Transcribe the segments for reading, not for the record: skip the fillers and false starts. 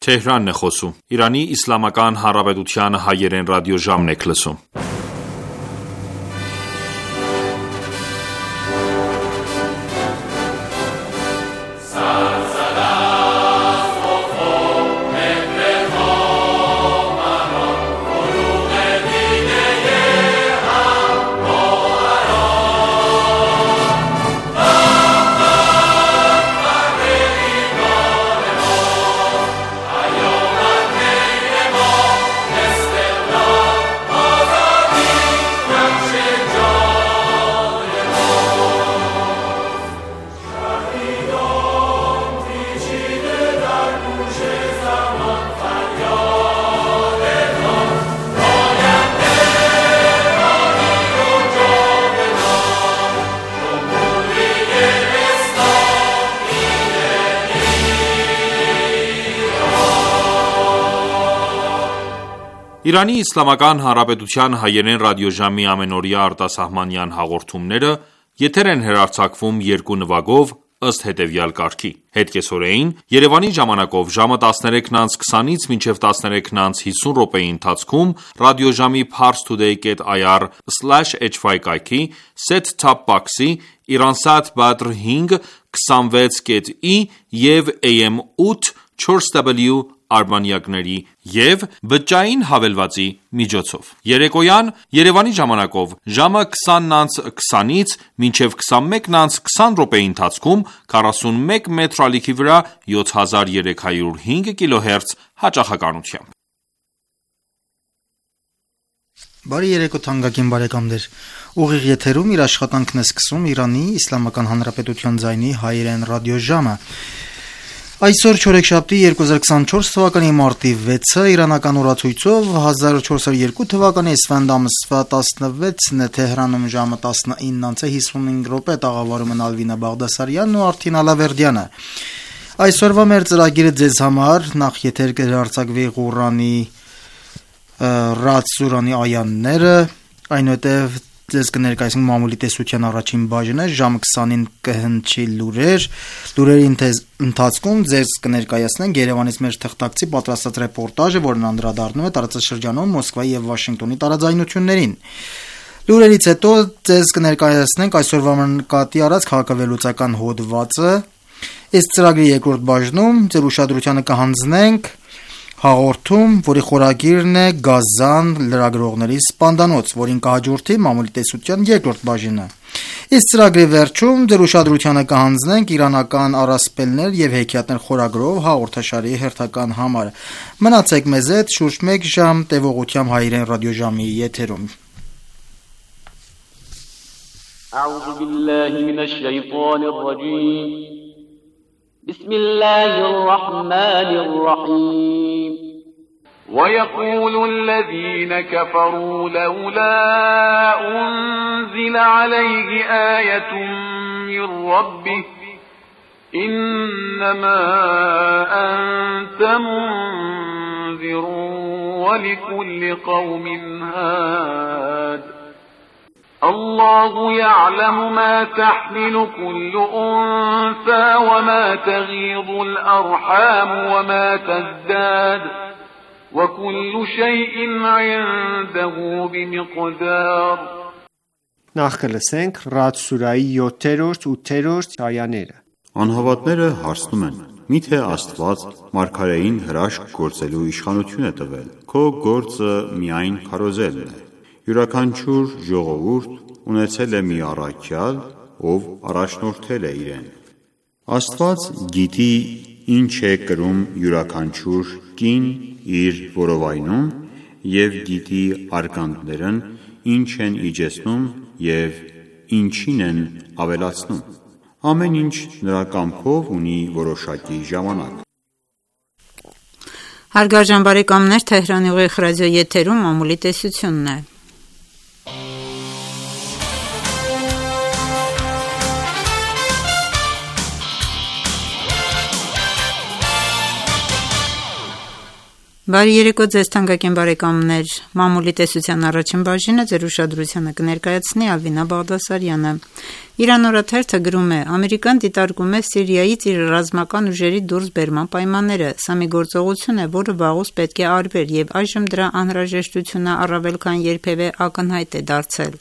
Թեհրանն է խոսում։ Իրանի Իսլամական Հանրապետության հայերեն ռադիոժամն եք լսում։ Իրանի Իսլամական Հանրապետության հայերեն ռադիոժամի ամենօրյա արտասահմանյան հաղորդումները եթեր են հեռարձակվում երկու նվագով ըստ հետևյալ կարգի. Հետկեսօրեին Երևանի ժամանակով ժամը 13:20-ից մինչև 13:50 րոպեի ընթացքում ռադիոժամի parstoday.ir/hy կայքի set-top box-ի Iransat Badr 5 26.i և AM 8 4W արբանյակների և բջջային հավելվածի միջոցով։ Երեկոյան Երևանի ժամանակով ժամը 20:20-ից մինչև 21:20 րոպեի ընթացքում 41 մետր ալիքի վրա 7305 կիլոհերց հաճախականությամբ։ Բարի երեկո թանկագին բարեկամներ։ Ուղիղ եթերում իր աշխատանքն է սկսում Իրանի Իսլամական Հանրապետության ձայնի հայերեն ռադիոժամը։ Այսօր չորեքշաբթի 2024 թվականի մարտի 6-ը իրանական օրացույցով 1402 թվականի Էսֆանդ ամսվա 16-ն է Թեհրանում ժամը 19:55 տաղավարում են Ալվինա Բաղդասարյանն ու Արթին Ալավերդյանը։ Այսօրվա մեր ծրագիրը ձեզ համար նախ եթեր կհեռարձակվի Ղուրանի Ռադ սուրանի այաները, այնուհետև ձեզ կներկայացնենք մամուլի տեսության առաջին բաժինը, ժամը 20-ին կհնչի լուրերի ընթացքում ձեզ կներկայացնենք Երևանից մեր թղթակցի պատրաստած ռեպորտաժը, որն անդրադառնում է տարածաշրջանում Մոսկվայի եւ Վաշինգտոնի տարաձայնություններին։ Լուրերից հետո ձեզ կներկայացնենք այսօրվա նկատի առած քաղաքավերլուծական հոդվածը։ Այս ծրագրի երկրորդ բաժնում ձեր ուշադրությանը կհանձնենք հաղորդում, որի խորագիրն է Գազան լրագրողների սպանդանոց, որին կհաջորդի մամուլի տեսության երկրորդ բաժինը։ Այս ծրագրի վերջում ձեր ուշադրությանը կհանձնենք իրանական առասպելներ եւ հեքիաթներ խորագրով հաղորդաշարի հերթական համարը։ Մնացեք մեզ հետ շուրջ 1 ժամ տևողությամբ հայերեն ռադիոժամի եթերում։ أعوذ بالله من الشيطان الرجيم بسم الله الرحمن الرحيم ويقول الذين كفروا لولا أنزل عليه آية من ربه إنما أنت منذر ولكل قوم هاد الله يعلم ما تحمل كل أنثى وما تغيض الأرحام وما تزداد وكل شيء عنده بمقدار Նախ կլսենք Ռադ սուրայի 7-րդ, 8-րդ այաները։ Անհավատները հարցնում են. Միթե Աստված մարգարեին հրաշք գործելու իշխանություն է տվել, քո գործը միայն քարոզելն է։ Յուրաքանչյուր ժողովուրդ ունեցել է մի առաքյալ, ով առաջնորդել է իրեն։ Աստված գիտի ինչ է կրում յուրաքանչյուր կին իր որովայնում և գիտի արգանդներն ինչ են իջեցնում և ինչին են ավելացնում։ Ամեն ինչ նրա կամքով ունի որոշակի ժամանակ։ Հարգարժան բարեկամներ, Թեհրանի ուղիղ ռադիո եթերում մամուլի տեսությունն է։ Բարի երեկո ձեզ թանկագին բարեկամներ, մամուլի տեսության առաջին բաժինը ձեր ուշադրությանը կներկայացնի Ալվինա Բաղդասարյանը։ Իրան օրաթերթը գրում է. Ամերիկան դիտարկում է Սիրիայից իր ռազմական ուժերի դուրսբերման պայմանները։ Սա մի գործողություն է, որը վաղուց պետք է արվեր, եւ այժմ դրա անհրաժեշտությունը առավել քան երբևէ ակնհայտ է դարձել։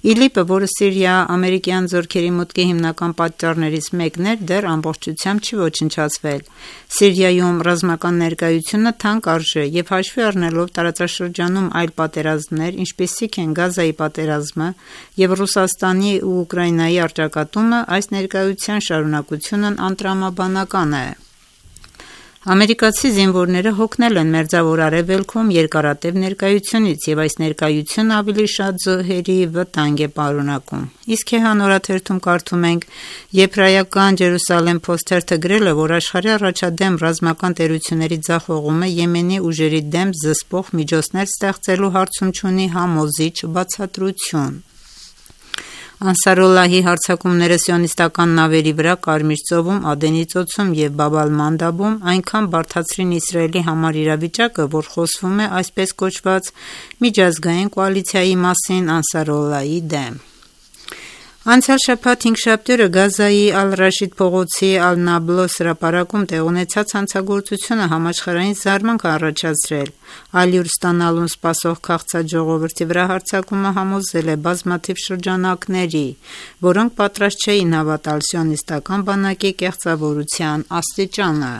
ԻԼԻՊ-ը, որը Սիրիա-ամերիկյան զորքերի մուտքի հիմնական պատճառներից մեկն էր, դեռ ամբողջությամբ չի ոչնչացվել։ Սիրիայում ռազմական ներկայությունը թանկ արժե եւ հաշվի առնելով տարածաշրջանում այլ պատերազմներ, ինչպիսիք են Գազայի պատերազմը եւ Ռուսաստանի ու Ուկրաինայի առճակատումը, այս ներկայության շարունակությունն անտրամաբանական է։ Ամերիկացի զինվորները հոգնել են Մերձավոր Արևելքում երկարատև ներկայությունից եւ այս ներկայությունը ավելի շատ զոհերի վտանգ է պարունակում։ Իսկ Քեհան օրաթերթում կարդում ենք. Եբրայական Ջերուսալեմ Post-ը գրել է, որ աշխարհի առաջադեմ ռազմական տերությունների ձախողումը Եմենի ուժերի դեմ զսպող միջոցներ ստեղծելու հարցում չունի համոզիչ բացատրություն։ Անսարոլլահի հարձակումները սիոնիստական նավերի վրա Կարմիր ծովում, Ադենի ծոցում եւ Բաբ Ալ-Մանդաբում այնքան բարդացրին Իսրայելի համար իրավիճակը, որ խոսվում է այսպես կոչված միջազգային կոալիցիայի մասին Անսարոլլահի դեմ։ Անցյալ շաբաթ հինգշաբթի օրը Գազայի Ալ-Ռաշիդ փողոցի Ալ-Նաբլոս հրապարակում տեղ ունեցած հանցագործությունը համաշխարհային զարմանք է առաջացրել։ Ալյուր ստանալուն սպասող քաղցած ժողովրդի վրա հարձակումը համոզել է բազմաթիվ շրջանակների, որոնք պատրաստ չէին հավատալ սիոնիստական բանակի կեղծավորության աստիճանը։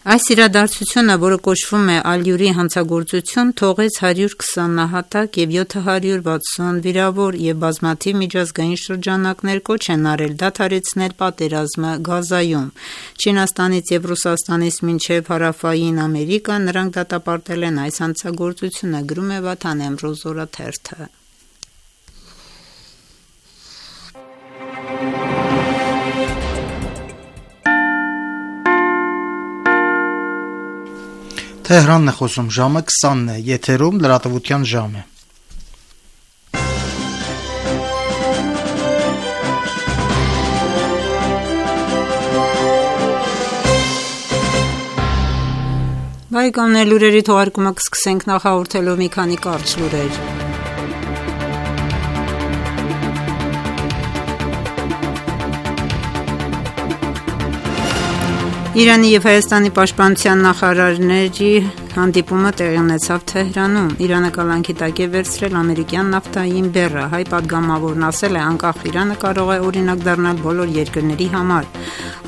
Այս իրադարձությունը, որը կոչվում է Ալյուրի հանցագործություն, թողեց 120 նահատակ եւ 760 վիրավոր եւ բազմաթիվ միջազգային շրջանակներ կոչ են արել դադարեցնել պատերազմը Գազայում։ Չինաստանից եւ Ռուսաստանից մինչեւ Հարավային Ամերիկա նրանք դատապարտել են այս հանցագործությունը, գրում է Վաթան Էմրոզ օրաթերթը։ Թեհրանն է խոսում, ժամը 20-ն է, եթերում լրատվության ժամ է։ Բայկամներ լուրերի թողարկումը կսկսենք նախահաղորդելով մի քանի կարճ լուրեր։ Իրանի եւ Հայաստանի պաշտպանության նախարարների հանդիպումը տեղի ունեցավ Թեհրանում։ Իրանը կալանքի տակ է վերցրել ամերիկյան նավթային բեռը։ Հայ պատգամավորն ասել է, անկախ Իրանը կարող է օրինակ դառնալ բոլոր երկրների համար։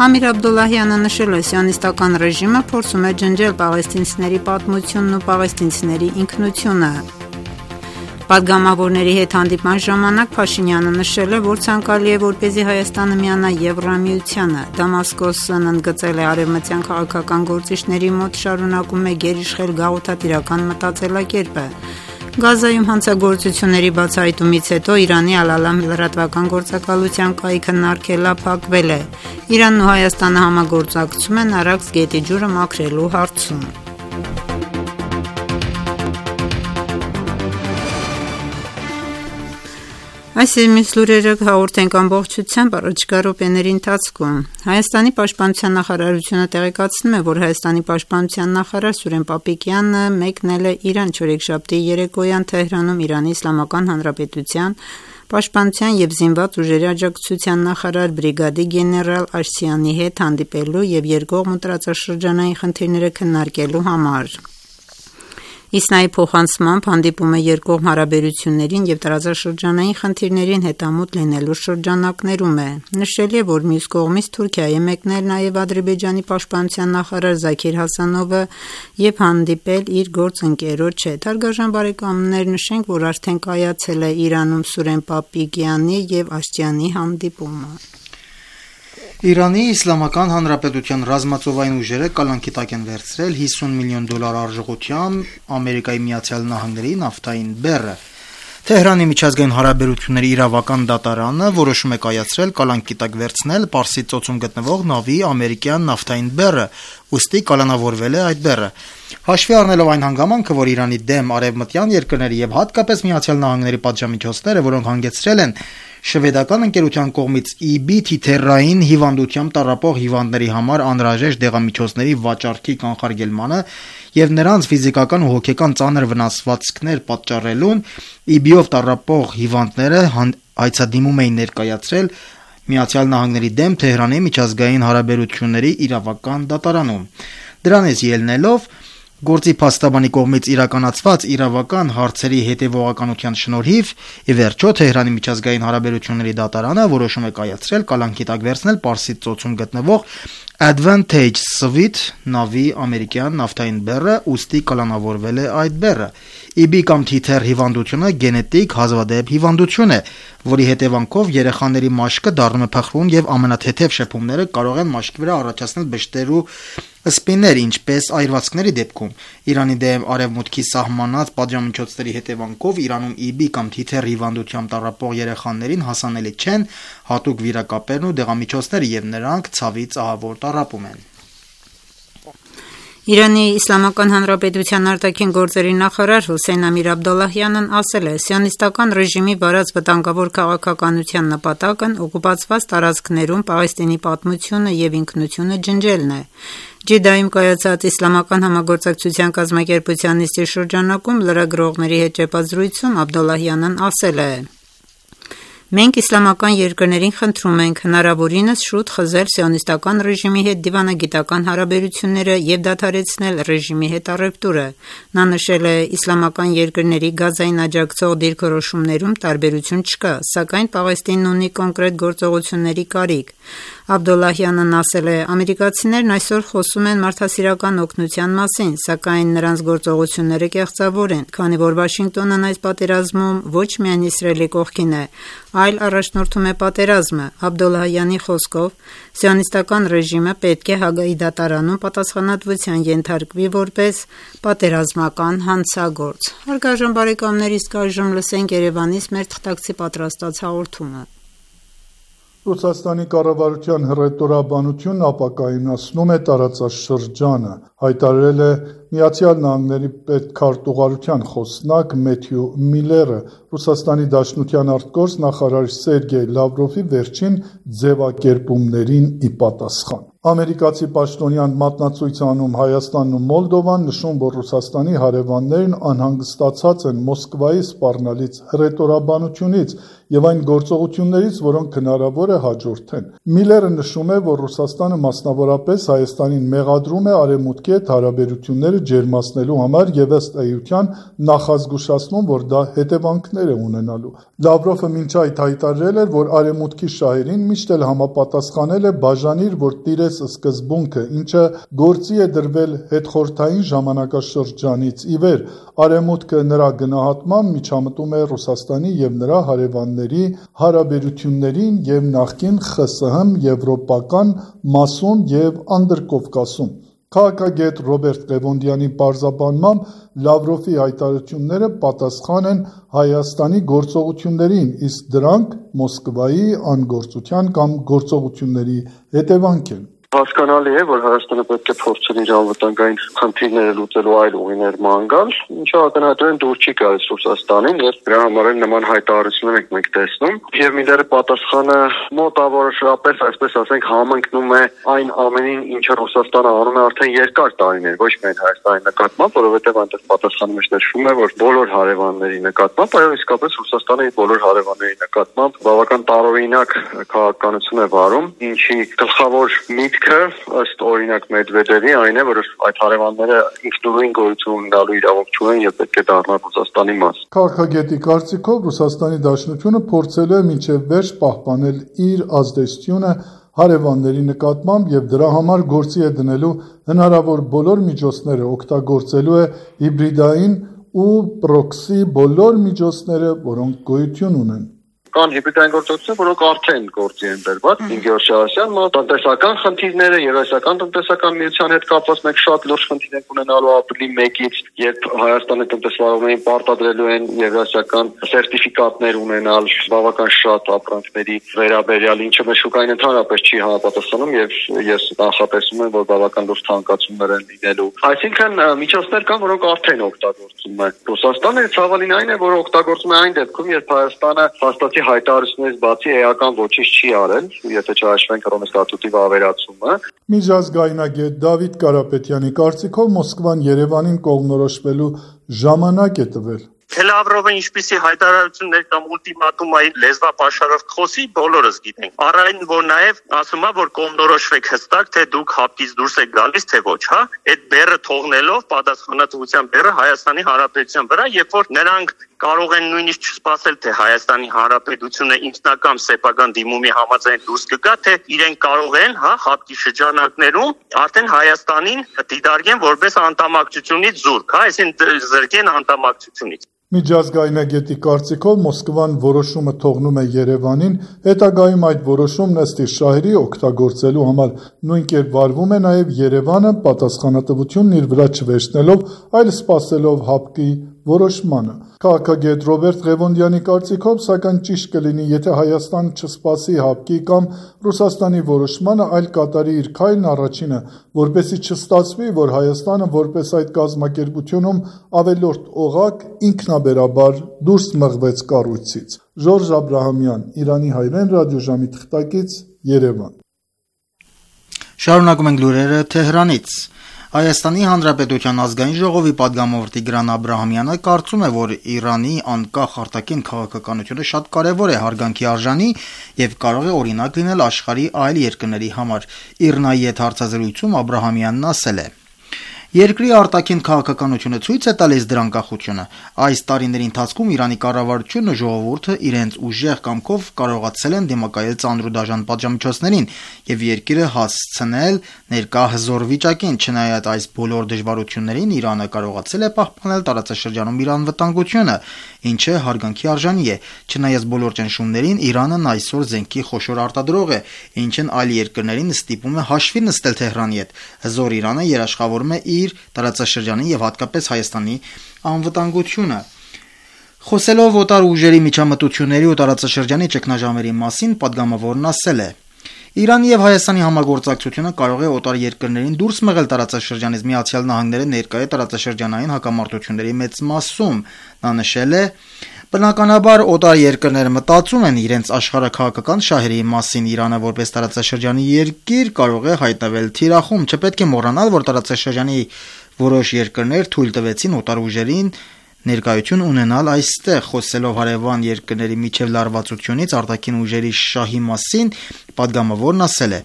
Ամիր Աբդոլլահյանը նշել է, սիոնիստական ռեժիմը փորձում է ջնջել պաղեստինցիների պատմությունն ու պաղեստինցիների ինքնությունը։ Պատգամավորների հետ հանդիպման ժամանակ Փաշինյանը նշել է, որ ցանկալի է, որպեսզի Հայաստանը միանա Եվրամիությանը։ Դամասկոսն ընդգծել է արևմտյան քաղաքական գործիչների մոտ շարունակում է գերիշխել գաղութատիրական մտածելակերպը։ Գազայում հանցագործությունների բացահայտումից հետո Իրանի Ալ-Ալամ լրատվական գործակալության կայքն արգելափակվել է։ Իրանն ու Հայաստանը համագործակցում են Արաքս գետի ջուրը մաքրելու հարցում։ Այս իմից լուրերը հաղորդենք ամբողջությամբ առաջիկա րոպեների ընթացքում։ Հայաստանի պաշտպանության նախարարությունը տեղեկացնում է, որ Հայաստանի պաշտպանության նախարար Սուրեն Պապիկյանը մեկնել է Իրան չորեքշաբթի երեկոյան Թեհրանում Իրանի Իսլամական Հանրապետության պաշտպանության եւ զինված ուժերի աջակցության նախարար բրիգադի գեներալ Աշսյանի հետ հանդիպելու եւ երկկողմ տարածաշրջանային խնդիրները քննարկելու համար։ Իսնայի փոխանցմամբ հանդիպումը երկկողմ հարաբերություններին եւ տարածաշրջանային խնդիրներին հետամուտ լինելու շրջանակներում է։ Նշել է, որ մյուս կողմից Թուրքիայի է մեկնել նաեւ Ադրբեջանի պաշտպանության նախարար Զաքիր Հասանովը եւ հանդիպել իր գործընկերոջ հետ։ Հարգարժան բարեկամներ, նշենք, որ արդեն կայացել է Իրանում Սուրեն Պապիկյանի եւ Աշտյանի հանդիպումը։ Իրանի Իսլամական Հանրապետության ռազմածովային ուժերը կալանքի տակ են վերցրել $50 միլիոն արժողությամբ Ամերիկայի Միացյալ Նահանգների նավթային բեռը։ Թեհրանի միջազգային հարաբերությունների իրավական դատարանը որոշում է կայացրել կալանքի տակ վերցնել Պարսից ծոցում գտնվող նավի ամերիկյան նավթային բեռը, ուստի կալանավորվել է այդ բեռը։ Հաշվի առնելով այն հանգամանքը, որ Իրանի դեմ արևմտյան երկրների եւ հատկապես Միացյալ Նահանգների պատժամիջոցները, որոնք հանգեցրել են շվեդական ընկերության կողմից EB թիթեռային հիվանդությամբ տառապող հիվանդների համար անհրաժեշտ դեղամիջոցների վաճառքի կանխարգելմանը եւ նրանց ֆիզիկական ու հոգեկան ծանր վնասվածքներ պատճառելուն, EB-ով տառապող հիվանդները հայցադիմում էին ներկայացրել ԱՄՆ-ի դեմ Թեհրանի միջազգային հարաբերությունների իրավական դատարանում։ Դրանից ելնելով գործի փաստաբանի կողմից իրականացված իրավական հարցերի հետևողականության շնորհիվ ի վերջո Թեհրանի միջազգային հարաբերությունների դատարանը որոշում է կայացրել կալանքի տակ վերցնել Պարսից ծոցում գտնվող Advantage Swift նավի ամերիկյան նավթային բեռը, ուստի կալանավորվել է այդ բեռը։ EB կամ թիթեռ հիվանդությունը գենետիկ հազվադեպ հիվանդություն է, որի հետևանքով երեխաների մաշկը դառնում է փխրուն եւ ամենաթեթև շփումները կարող են մաշկի վրա առաջացնել բշտեր ու սպիներ, ինչպես այրվածքների դեպքում։ Իրանի դեմ արևմուտքի սահմանած պատժամիջոցների հետևանքով Իրանում EB կամ թիթեռ հիվանդությամբ տառապող երեխաներին հասանելի չեն հատուկ վիրակապերն ու դեղամիջոցները եւ նրանք ցավից ահավոր տառապում են։ Իրանի Իսլամական Հանրապետության արտաքին գործերի նախարար Հոսեյն Ամիր Աբդոլլահյանն ասել է. «Սիոնիստական ռեժիմի վարած վտանգավոր քաղաքականության նպատակն օկուպացված տարածքներում Պաղեստինի պատմությունը եւ ինքնությունը ջնջելն է»։ Ջիդայում կայացած Իսլամական համագործակցության կազմակերպության նիստի շրջանակում լրագրողների հետ ճեպազրույցում Աբդոլլահյանն ասել է. «Մենք իսլամական երկրներին խնդրում ենք հնարավորինս շուտ խզել սիոնիստական ռեժիմի հետ դիվանագիտական հարաբերությունները եւ դադարեցնել ռեժիմի հետ առևտուրը»։ Նա նշել է. «Իսլամական երկրների Գազային աջակցող դիրքորոշումներում տարբերություն չկա, սակայն Պաղեստինն ունի կոնկրետ գործողությունների կարիք»։ Աբդոլլահյանն ասել է. «Ամերիկացիներն այսօր խոսում են մարդասիրական օգնության մասին, սակայն նրանց գործողությունները կեղծավոր են, քանի որ Վաշինգտոնն այս պատերազմում ոչ միայն Իսրայելի կողքին է, այլ առաջնորդում է պատերազմը»։ Աբդոլլահյանի խոսքով սիոնիստական ռեժիմը պետք է Հագայի դատարանում պատասխանատվության ենթարկվի որպես պատերազմական հանցագործ։ Հարգարժան բարեկամներ, իսկ այժմ լսենք Երևանից մեր թղթակցի պատրաստած հաղորդումը։ Ռուսաստանի կառավարության հռետորաբանությունն ապակայունացնում է տարածաշրջանը, հայտարարել է ԱՄՆ պետքարտուղարության խոսնակ Մեթյու Միլլերը Ռուսաստանի Դաշնության արտգործ նախարար Սերգեյ Լավրովի վերջին ձևակերպումներին ի պատասխան։ Ամերիկացի պաշտոնյան մատնացույց անում Հայաստանն ու Մոլդովան, նշում, որ Ռուսաստանի հարևաններն անհանգստացած են Մոսկվայի սպառնալից հռետորաբանությունից եւ այն գործողություններից, որոնք հնարավոր է հաջորդեն։ Միլլերը նշում է, որ Ռուսաստանը մասնավորապես Հայաստանին մեղադրում է արևմուտքի հետ հարաբերությունները ջերմացնելու համար եւ ըստ էության նախազգուշացնում, որ դա հետևանքներ է ունենալու։ Լավրովը մինչ այդ հայտարարել էր, որ արևմուտքի շահերին միշտ էլ համապատասխանել է բաժանիր, որ տիրես սկզբունքը, ինչը գործի է դրվել հետխորհրդային ժամանակաշրջանից ի վեր։ Արևմուտքը նրա գնահատմամբ միջամտում է Ռուսաստանի եւ նրա հարևանների հարաբերություններին եւ նախկին ԽՍՀՄ եվրոպական մասում եւ Անդրկովկասում։ Քաղաքագետ Ռոբերտ Ղևոնդյանի պարզաբանմամբ Լավրովի հայտարարությունները պատասխան են Հայաստանի գործողություններին, իսկ դրանք Մոսկվայի անգործության կամ գործողությունների հետևանք են։ Հասկանալի է, որ Հայաստանը պետք է փորձել իր անվտանգային խնդիրները լուծելու այլ ուղիներ ման գալ, ինչը ակնհայտորեն դուր չի գալիս Ռուսաստանին, եւ դրա համար էլ նման հայտարարություններ ենք մենք տեսնում։ Եվ Միլլերը պատասխանը մոտավորապես, այսպես ասենք, համընկնում է այն ամենին, ինչը Ռուսաստանը անում է արդեն երկար տարիներ, ոչ միայն Հայաստանի նկատմամբ, որովհետեւ այնտեղ պատասխանը մեջ նշվում է, որ բոլոր հարևանների նկատմամբ, այո, իսկապես Ռուսաստանը իր բոլոր հարևանների նկատմամբ բավական տարօրինակ քաղաքականություն է վարում, ինչի գլխավոր ըստ օրինակ Մեդվեդևի այն է, որ այդ հարևանները ինքնուրույն գոյություն ունենալու իրավունք չունեն եւ պետք է դառնան Ռուսաստանի մաս։ Քաղաքագետի կարծիքով Ռուսաստանի Դաշնությունը փորձելու է մինչև վերջ պահպանել իր ազդեցությունը հարևանների նկատմամբ եւ դրա համար գործի է դնելու հնարավոր բոլոր միջոցները, օգտագործելու է հիբրիդային ու պրոքսի բոլոր միջոցները, որոնք գոյություն ունեն։ Կան հիբրիդային գործողություններ, որոնք արդեն գործի են դրված։ Ինգեոր Շահասյան, տնտեսական խնդիրները, Եվրասիական տնտեսական միության հետ կապված մենք շատ լուրջ խնդիր ենք ունենալու ապրիլի 1-ից, երբ Հայաստանի տնտեսվարողներին պարտադրելու են եվրասիական սերտիֆիկատներ ունենալ բավական շատ ապրանքների վերաբերյալ, ինչը մեր շուկային ընդհանրապես չի համապատասխանում եւ ես նախատեսում եմ, որ բավական լուրջ թանկացումներ են լինելու։ Այսինքն միջոցներ կան, որոնք արդեն օգտագործում է Ռուսաստանը, ցավալին այն է, որ օգտագործում է այն դեպքում, երբ Հայաստանը հաստատի հայտարարություններից բացի էական ոչինչ չի արել, եթե չհաշվենք Հռոմի ստատուտի վավերացումը։ Միջազգայնագետ Դավիթ Կարապետյանի կարծիքով Մոսկվան Երևանին կողմնորոշվելու ժամանակ է տվել։ Թե Լավրովը ինչպիսի հայտարարություններ կամ ուլտիմատումային լեզվապաշարով խոսի, բոլորս գիտենք։ Առայն որ նաև ասում է, որ կողմնորոշվեք հստակ, թե դուք հապկից դուրս եք գալիս, թե ոչ, հա։ Այդ բեռը թողնելով պատասխանատվության բեռը Հայաստանի Հանրապետության վրա, երբ որ նրանք կարող են նույնիսկ չսպասել, թե Հայաստանի Հանրապետությունը ինքնակամ սեփական դիմումի համաձայն դուրս կգա, թե իրենք կարող են, հա, հապկի շրջանակներում արդեն Հայաստանին դիտարկեն որպես անդամակցությունից զուրկ, հա, այսինքն զրկեն անդամակցությունից։ Միջազգայնագետի կարծիքով Մոսկվան որոշումը թողնում է Երևանին, հետագայում այդ որոշումն ըստ շահերի օգտագործելու համար նույն կերպ վարվում է նաև Երևանը, պատասխանատվությունն իր վրա չվերցնելով, այլ սպասելով հապկի որոշմանը։ Քաղաքագետ Ռոբերտ Ղևոնդյանի կարծիքով, սակայն ճիշտ կլինի, եթե Հայաստանը չսպասի հապկի կամ Ռուսաստանի որոշմանը, այլ կատարի իր քայլն առաջինը, որպեսզի չստացվի, որ Հայաստանը որպես այդ կազմակերպությունում ավելորդ օղակ ինքնաբերաբար դուրս մղվեց կառույցից։ Ժորժ Աբրահամյան, Իրանի հայրեն ռադիոժամի թղթակից, Երևան։ Շարունակում ենք լուրերը Թեհրանից։ Հայաստանի Հանրապետության ազգային ժողովի падգամավոր Տիգրան Աբրահամյանը կարծում է, որ Իրանի անկախ արտաքին քաղաքականությունը շատ կարևոր է, հարգանքի արժանի եւ կարող է օրինակ լինել աշխարհի այլ երկրների համար։ Իրնայի հետ հարցազրույցում Աբրահամյանն ասել է. Երկրի արտաքին քաղաքականությունը ցույց է տալիս դրա անկախությունը։ Այս տարիների ընթացքում Իրանի կառավարությունն ու ժողովուրդը իրենց ուժեղ կամքով կարողացել են դիմակայել ծանր ու դաժան պատժամիջոցներին եւ երկիրը հասցնել ներկա հզոր վիճակին։ Չնայած այս բոլոր դժվարություններին, Իրանը կարողացել է պահպանել տարածաշրջանում իր անվտանգությունը, ինչը հարգանքի արժանի է։ Չնայած բոլոր ճնշումներին, Իրանն այսօր զենքի խոշոր արտադրող է, ինչն այլ երկրներին ստիպում է հաշվի նստել Թեհրանի հետ։ Հզոր Իրանը երաշխավորում է իր տարածաշրջանի եւ հատկապես Հայաստանի անվտանգությունը։ Խոսելով օտար ուժերի միջամտությունների ու տարածաշրջանի ճգնաժամերի մասին, падգամավորն ասել է. Իրանի եւ Հայաստանի համագործակցությունը կարող է օտար երկրներին դուրս մղել տարածաշրջանից։ Միացյալ Նահանգները ներկա է տարածաշրջանային հակամարտությունների մեծ մասում։ Նա նշել է. Բնականաբար օտար երկրները մտածում են իրենց աշխարհաքաղաքական շահերի մասին։ Իրանը որպես տարածաշրջանի երկիր կարող է հայտնվել թիրախում։ Չպետք է մոռանալ, որ տարածաշրջանի որոշ երկրներ թույլ տվեցին օտար ուժերին ներկայություն ունենալ այստեղ։ Խոսելով հարևան երկրների միջև լարվածությունից արտաքին ուժերի շահի մասին, падգամավորն ասել է.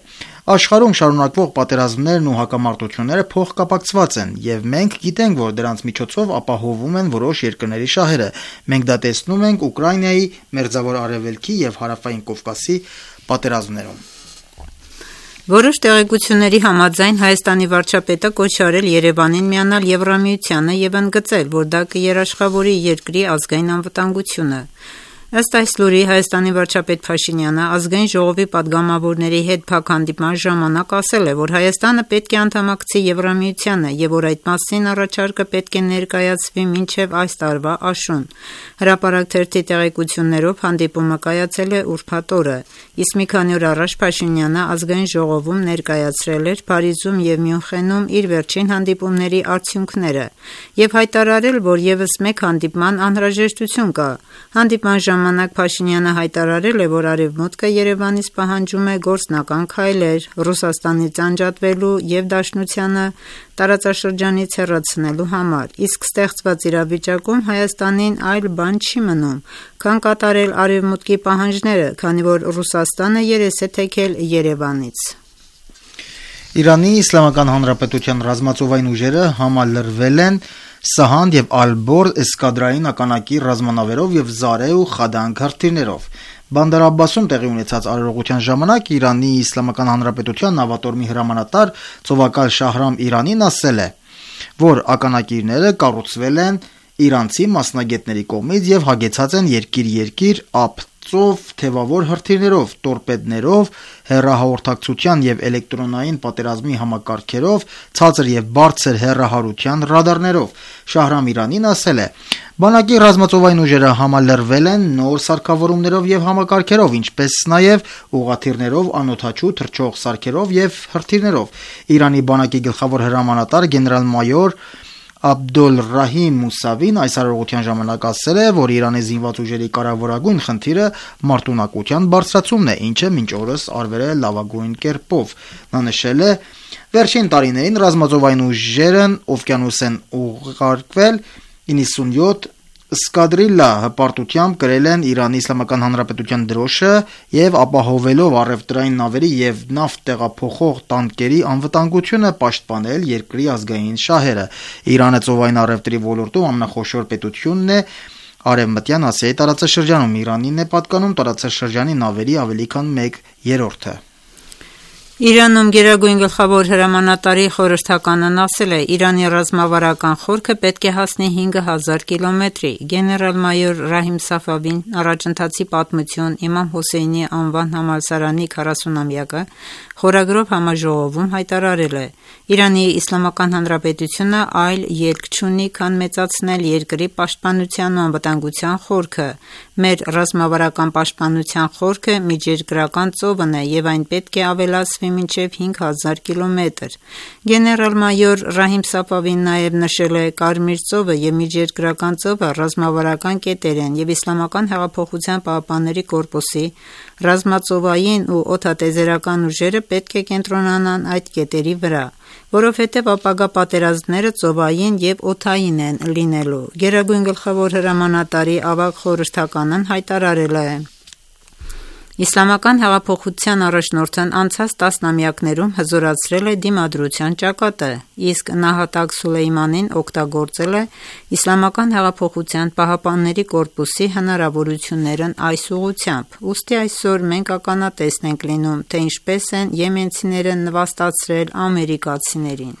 Աշխարհում շարունակվող պատերազմներն ու հակամարտությունները փոխկապակցված են, եւ մենք գիտենք, որ դրանց միջոցով ապահովում են որոշ երկրների շահերը։ Մենք դա տեսնում ենք Ուկրաինայի, Մերձավոր Արևելքի եւ Հարավային Կովկասի պատերազմներում։ Որոշ տեղեկությունների համաձայն Հայաստանի վարչապետը կոչ արել Երևանին միանալ Եվրամիությանը եւ ընդգծել, որ դա կերաշխավորի երկրի ազգային անվտանգությունը։ Ըստ այս լուրի Հայաստանի վարչապետ Փաշինյանը ազգային ժողովի падգամավորների հետ փակ հանդիպման ժամանակ ասել է, որ Հայաստանը պետք է անդամակցի Եվրամիությանը եւ որ այդ մասին առաջարկը պետք է ներկայացվի մինչեւ այս տարվա աշուն։ Հրապարակ թերթի տեղեկություններով հանդիպումը կայացել է ուրբաթ օրը, իսկ մի քանի օր առաջ Փաշինյանը ազգային ժողովում ներկայացրել էր Փարիզում եւ Մյունխենում իր վերջին հանդիպումների արդյունքները եւ հայտարարել, որ եւս մեկ հանդիպման անհրաժեշտություն կա։ Հանդիպման ժամանակ Փաշինյանը հայտարարել է, որ Արևմուտքը Երևանից պահանջում է գործնական քայլեր Ռուսաստանից անջատվելու եւ Դաշնությանը տարածաշրջանից հեռացնելու համար, իսկ ստեղծված իրավիճակում Հայաստանին այլ բան չի մնում, քան կատարել Արևմուտքի պահանջները, քանի որ Ռուսաստանը երես է թեքել Երևանից։ Իրանի Իսլամական Հանրապետության ռազմածովային ուժերը համալրվել են Սահանդ եւ Ալբոր էսկադրային ականակի ռազմանավերով եւ Զարե ու Խադանք հրթիռներով։ Բանդար Աբբասում տեղի ունեցած արարողության ժամանակ Իրանի Իսլամական Հանրապետության նավատորմի հրամանատար Ծովակալ Շահրամ Իրանին ասել է, որ ականակիրները կառուցվել են իրանցի մասնագետների կողմից եւ հագեցած են երկիր-երկիր ապծով թևավոր հրթիռներով, տորպեդներով, հեռահաղորդակցության եւ էլեկտրոնային պատերազմի համակարգերով, ցածր եւ բարձր հեռահարության ռադարներով։ Շահրամ Իրանին ասել է. Բանակի ռազմածովային ուժերը համալրվել են նոր սարքավորումներով եւ համակարգերով, ինչպես նաեւ ուղղաթիռներով, անօդաչու թռչող սարքերով եւ հրթիռներով։ Իրանի բանակի գլխավոր հրամանատար գեներալ-մայոր Աբդոլռահիմ Մուսավին այս արարողության ժամանակ ասել է, որ Իրանի զինված ուժերի կարևորագույն խնդիրը մարտունակության բարձրացումն է, ինչը մինչ օրս արվել է լավագույն կերպով։ Նա նշել է. Վերջին տարիներին ռազմածովային ուժերն օվկիանոս են ուղարկվել 97 Սկադրիլլա հպարտությամբ կրել են Իրանի Իսլամական Հանրապետության դրոշը եւ ապահովելով առևտրային նավերի եւ նավթ տեղափոխող տանկերի անվտանգությունը պաշտպանել երկրի ազգային շահերը։ Իրանը ծովային առևտրի ոլորտում ամենախոշոր պետությունն է Արևմտյան Ասիայի տարածաշրջանում։ Իրանին է պատկանում տարածաշրջանի նավերի ավելի քան 1/3-ը։ Իրանում Գերագույն գլխավոր հրամանատարի խորհրդականն ասել է. Իրանի ռազմավարական խորքը պետք է հասնի 5000 կիլոմետրի։ Գեներալ-մայոր Ռահիմ Սաֆավին առաջընթացի պատմություն Իմամ Հոսեյնի անվան համալսարանի 40-ամյակը խորագրով համաժողովում հայտարարել է. Իրանի Իսլամական Հանրապետությունը այլ ելք չունի, քան մեծացնել երկրի պաշտպանության ու անվտանգության խորքը։ Մեր ռազմավարական պաշտպանության խորքը միջերկրական ծովն է եւ այն պետք է ավելացվի մինչև 5000 կիլոմետր։ Գեներալ-մայոր Ռահիմ Սաֆավին նաև նշել է. Կարմիր ծովը եւ միջերկրական ծովը ռազմավարական կետեր են եւ Իսլամական հեղափոխության պահապանների կորպուսի ռազմածովային ու օդատեզերական ուժերը պետք է կենտրոնանան այդ կետերի վրա, որովհետև ապագա պատերազմները ծովային եւ օդային են լինելու։ Գերագույն գլխավոր հրամանատարի ավագ խորհրդականն հայտարարել է. Իսլամական հեղափոխության առաջնորդն անցած տասնամյակներում հզորացրել է դիմադրության ճակատը, իսկ նահատակ Սուլեյմանին օգտագործել է Իսլամական հեղափոխության պահապանների կորպուսի հնարավորություններն այս ուղղությամբ։ Ուստի այսօր մենք ականատես ենք լինում, թե ինչպես են եմենցիները նվաստացրել ամերիկացիներին։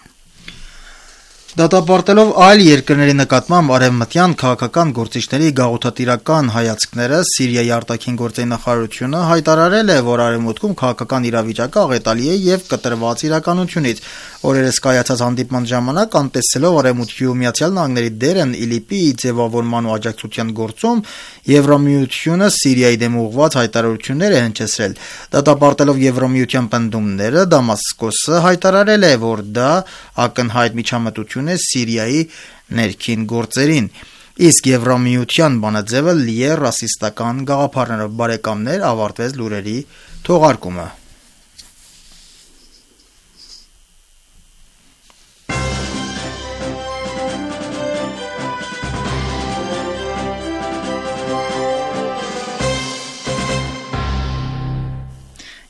Դատապարտելով այլ երկրների նկատմամբ արևմտյան քաղաքական գործիչների գաղութատիրական հայացքները, Սիրիայի արտաքին գործերի նախարարությունը հայտարարել է, որ արևմուտքում քաղաքական իրավիճակը աղետալի է եւ կտրված իրականությունից։ Օրերս կայացած հանդիպման ժամանակ, անտեսելով Արևմուտքի ու Միացյալ Նահանգների դերն ԻԼԻՊ-ի ձևավորման ու աջակցության գործում, Եվրամիությունը Սիրիայի դեմ ուղղված հայտարարություններ է հնչեցրել։ Դատապարտելով Եվրամիության պնդումները, Դամասկոսը հայտարարել է, որ դա ակնհայտ միջամտություն է Սիրիայի ներքին գործերին, իսկ Եվրամիության բանաձևը լի է ռասիստական գաղափարներով։ Բարեկամներ, ավարտվեց լուրերի թողարկումը։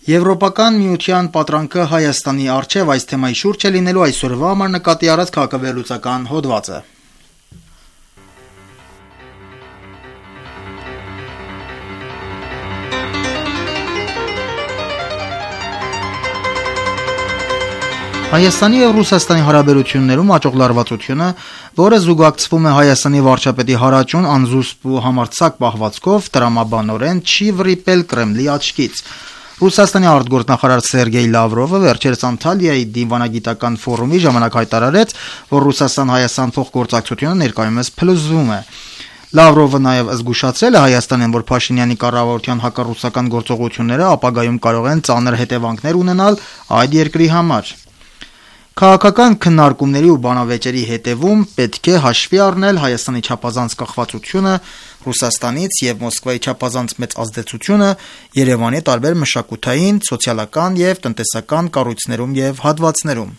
Եվրոպական միության պատրանքը Հայաստանի առջև այս թեմայի շուրջ է լինելու այսօրվա համար նկատի առած քաղաքավերլուծական հոդվածը։ Հայաստանի և Ռուսաստանի հարաբերություններում աճող լարվածությունը, որը զուգակցվում է Հայաստանի վարչապետի հարաճուն, անզուսպ ու համարձակ պահվածքով, տրամաբանորեն չի վրիպել Կրեմլի աչքից։ Ռուսաստանի արտգործնախարար Սերգեյ Լավրովը վերջերս Անտալիայի դիվանագիտական ֆորումի ժամանակ հայտարարեց, որ Ռուսաստան-Հայաստան փոխգործակցությունը ներկայումս փլուզվում է։ Լավրովը նաև զգուշացրել է Հայաստանին, որ Փաշինյանի կառավարության հակառուսական գործողությունները ապագայում կարող են ծանր հետևանքներ ունենալ այդ երկրի համար։ Քաղաքական քննարկումների ու բանավեճերի հետևում պետք է հաշվի առնել Հայաստանի չափազանց կախվածությունը Ռուսաստանից եւ Մոսկվայի չափազանց մեծ ազդեցությունը Երևանի տարբեր մշակութային, սոցիալական եւ տնտեսական կառույցներում եւ հատվածներում։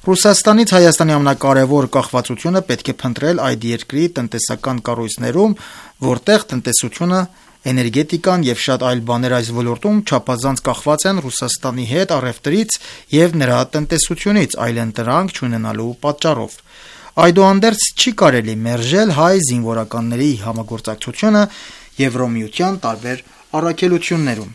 Ռուսաստանից Հայաստանի ամենակարևոր կախվածությունը պետք է փնտրել այդ երկրի տնտեսական կառույցներում, որտեղ տնտեսությունը, էներգետիկան եւ շատ այլ բաներ այս ոլորտում չափազանց կախված են Ռուսաստանի հետ առևտրից եւ նրա տնտեսությունից, այլեն դրանք չունենալու պատճառով։ Այդուհանդերձ չի կարելի մերժել հայ զինվորականների համագործակցությունը Եվրոմիության տարբեր առաքելություններում։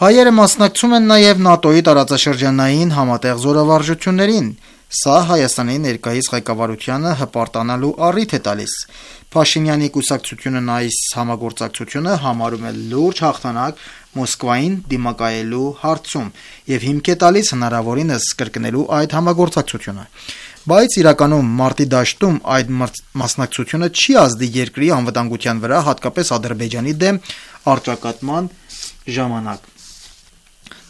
Հայերը մասնակցում են նաև ՆԱՏՕ-ի տարածաշրջանային համատեղ զորավարժություններին։ Սա Հայաստանի ներկայիս ղեկավարությանը հպարտանալու առիթ է տալիս։ Փաշինյանի կուսակցությունն այս համագործակցությունը համարում է լուրջ հաղթանակ Մոսկվային դիմակայելու հարցում եւ հիմք է տալիս հնարավորինս կրկնելու այդ համագործակցությունը։ Բայց իրականում մարտի դաշտում այդ մասնակցությունը չի ազդի երկրի անվտանգության վրա, հատկապես Ադրբեջանի դեմ առճակատման ժամանակ։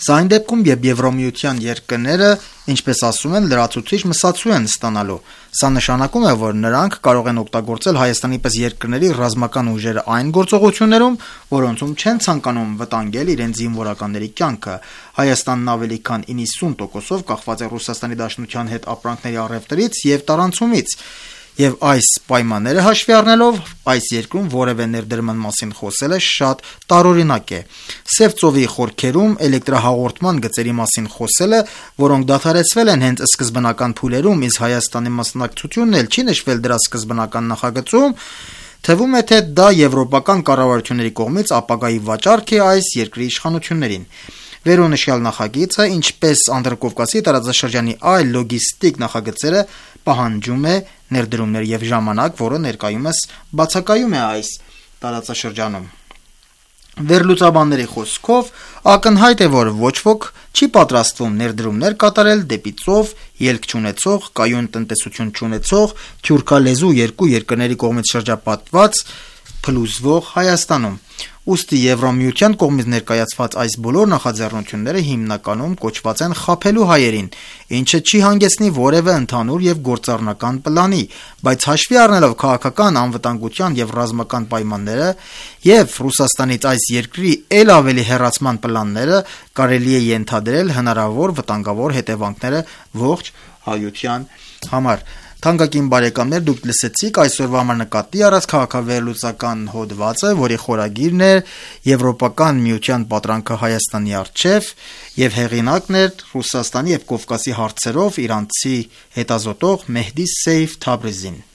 Սա այն դեպքում, երբ Եվրոմիության երկրները, ինչպես ասում են, լրացուցիչ մսացու են ստանալու։ Սա նշանակում է, որ նրանք կարող են օգտագործել Հայաստանի պես երկրների ռազմական ուժերը այն գործողություններում, որոնցում չեն ցանկանում վտանգել իրենց զինվորականների կյանքը։ Հայաստանն ավելի քան 90%-ով կախված է Ռուսաստանի Դաշնության հետ ապրանքների առևտրից եւ տարանցումից։ Եվ այս պայմանները հաշվի առնելով այս երկրում որևէ ներդրման մասին խոսելը շատ տարօրինակ է։ Սև ծովի խորքերում էլեկտրահաղորդման գծերի մասին խոսելը, որոնք դադարեցվել են հենց սկզբնական փուլերում, իսկ Հայաստանի մասնակցությունն էլ չի նշվել դրա սկզբնական նախագծում, թվում է, թե դա եվրոպական կառավարությունների կողմից ապագայի վաճառք է այս երկրի իշխանություններին։ Վերոնշյալ նախագիծը, ինչպես Անդրկովկասի տարածաշրջանի այլ լոգիստիկ նախագծերը, պահանջում է ներդրումներ եւ ժամանակ, որը ներկայումս բացակայում է այս տարածաշրջանում։ Վերլուծաբանների խոսքով ակնհայտ է, որ ոչ ոք չի պատրաստվում ներդրումներ կատարել դեպի ծով, ելք չունեցող, կայուն տնտեսություն չունեցող, թյուրքալեզու երկու երկրների կողմից շրջապատված փլուզվող Հայաստանում։ Ուստի Եվրամիության կողմից ներկայացված այս բոլոր նախաձեռնությունները հիմնականում կոչված են խաբելու հայերին, ինչը չի հանգեցնի որևէ ընդհանուր եւ գործառնական պլանի, բայց հաշվի առնելով քաղաքական անվտանգության եւ ռազմական պայմանները եւ Ռուսաստանից այս երկրի ել ավելի հեռացման պլանները, կարելի է ենթադրել հնարավոր վտանգավոր հետևանքները ողջ հայության համար։ Թանկագին բարեկամներ, դուք լսեցիք այսօրվա համար նկատի առած քաղաքավերլուծական հոդվածը, որի խորագիրն էր Եվրոպական միության պատրանքը Հայաստանի առջև եւ հեղինակն էր Ռուսաստանի եւ Կովկասի հարցերով իրանցի հետազոտող Մեհդի Սեյֆ Թաբրիզին։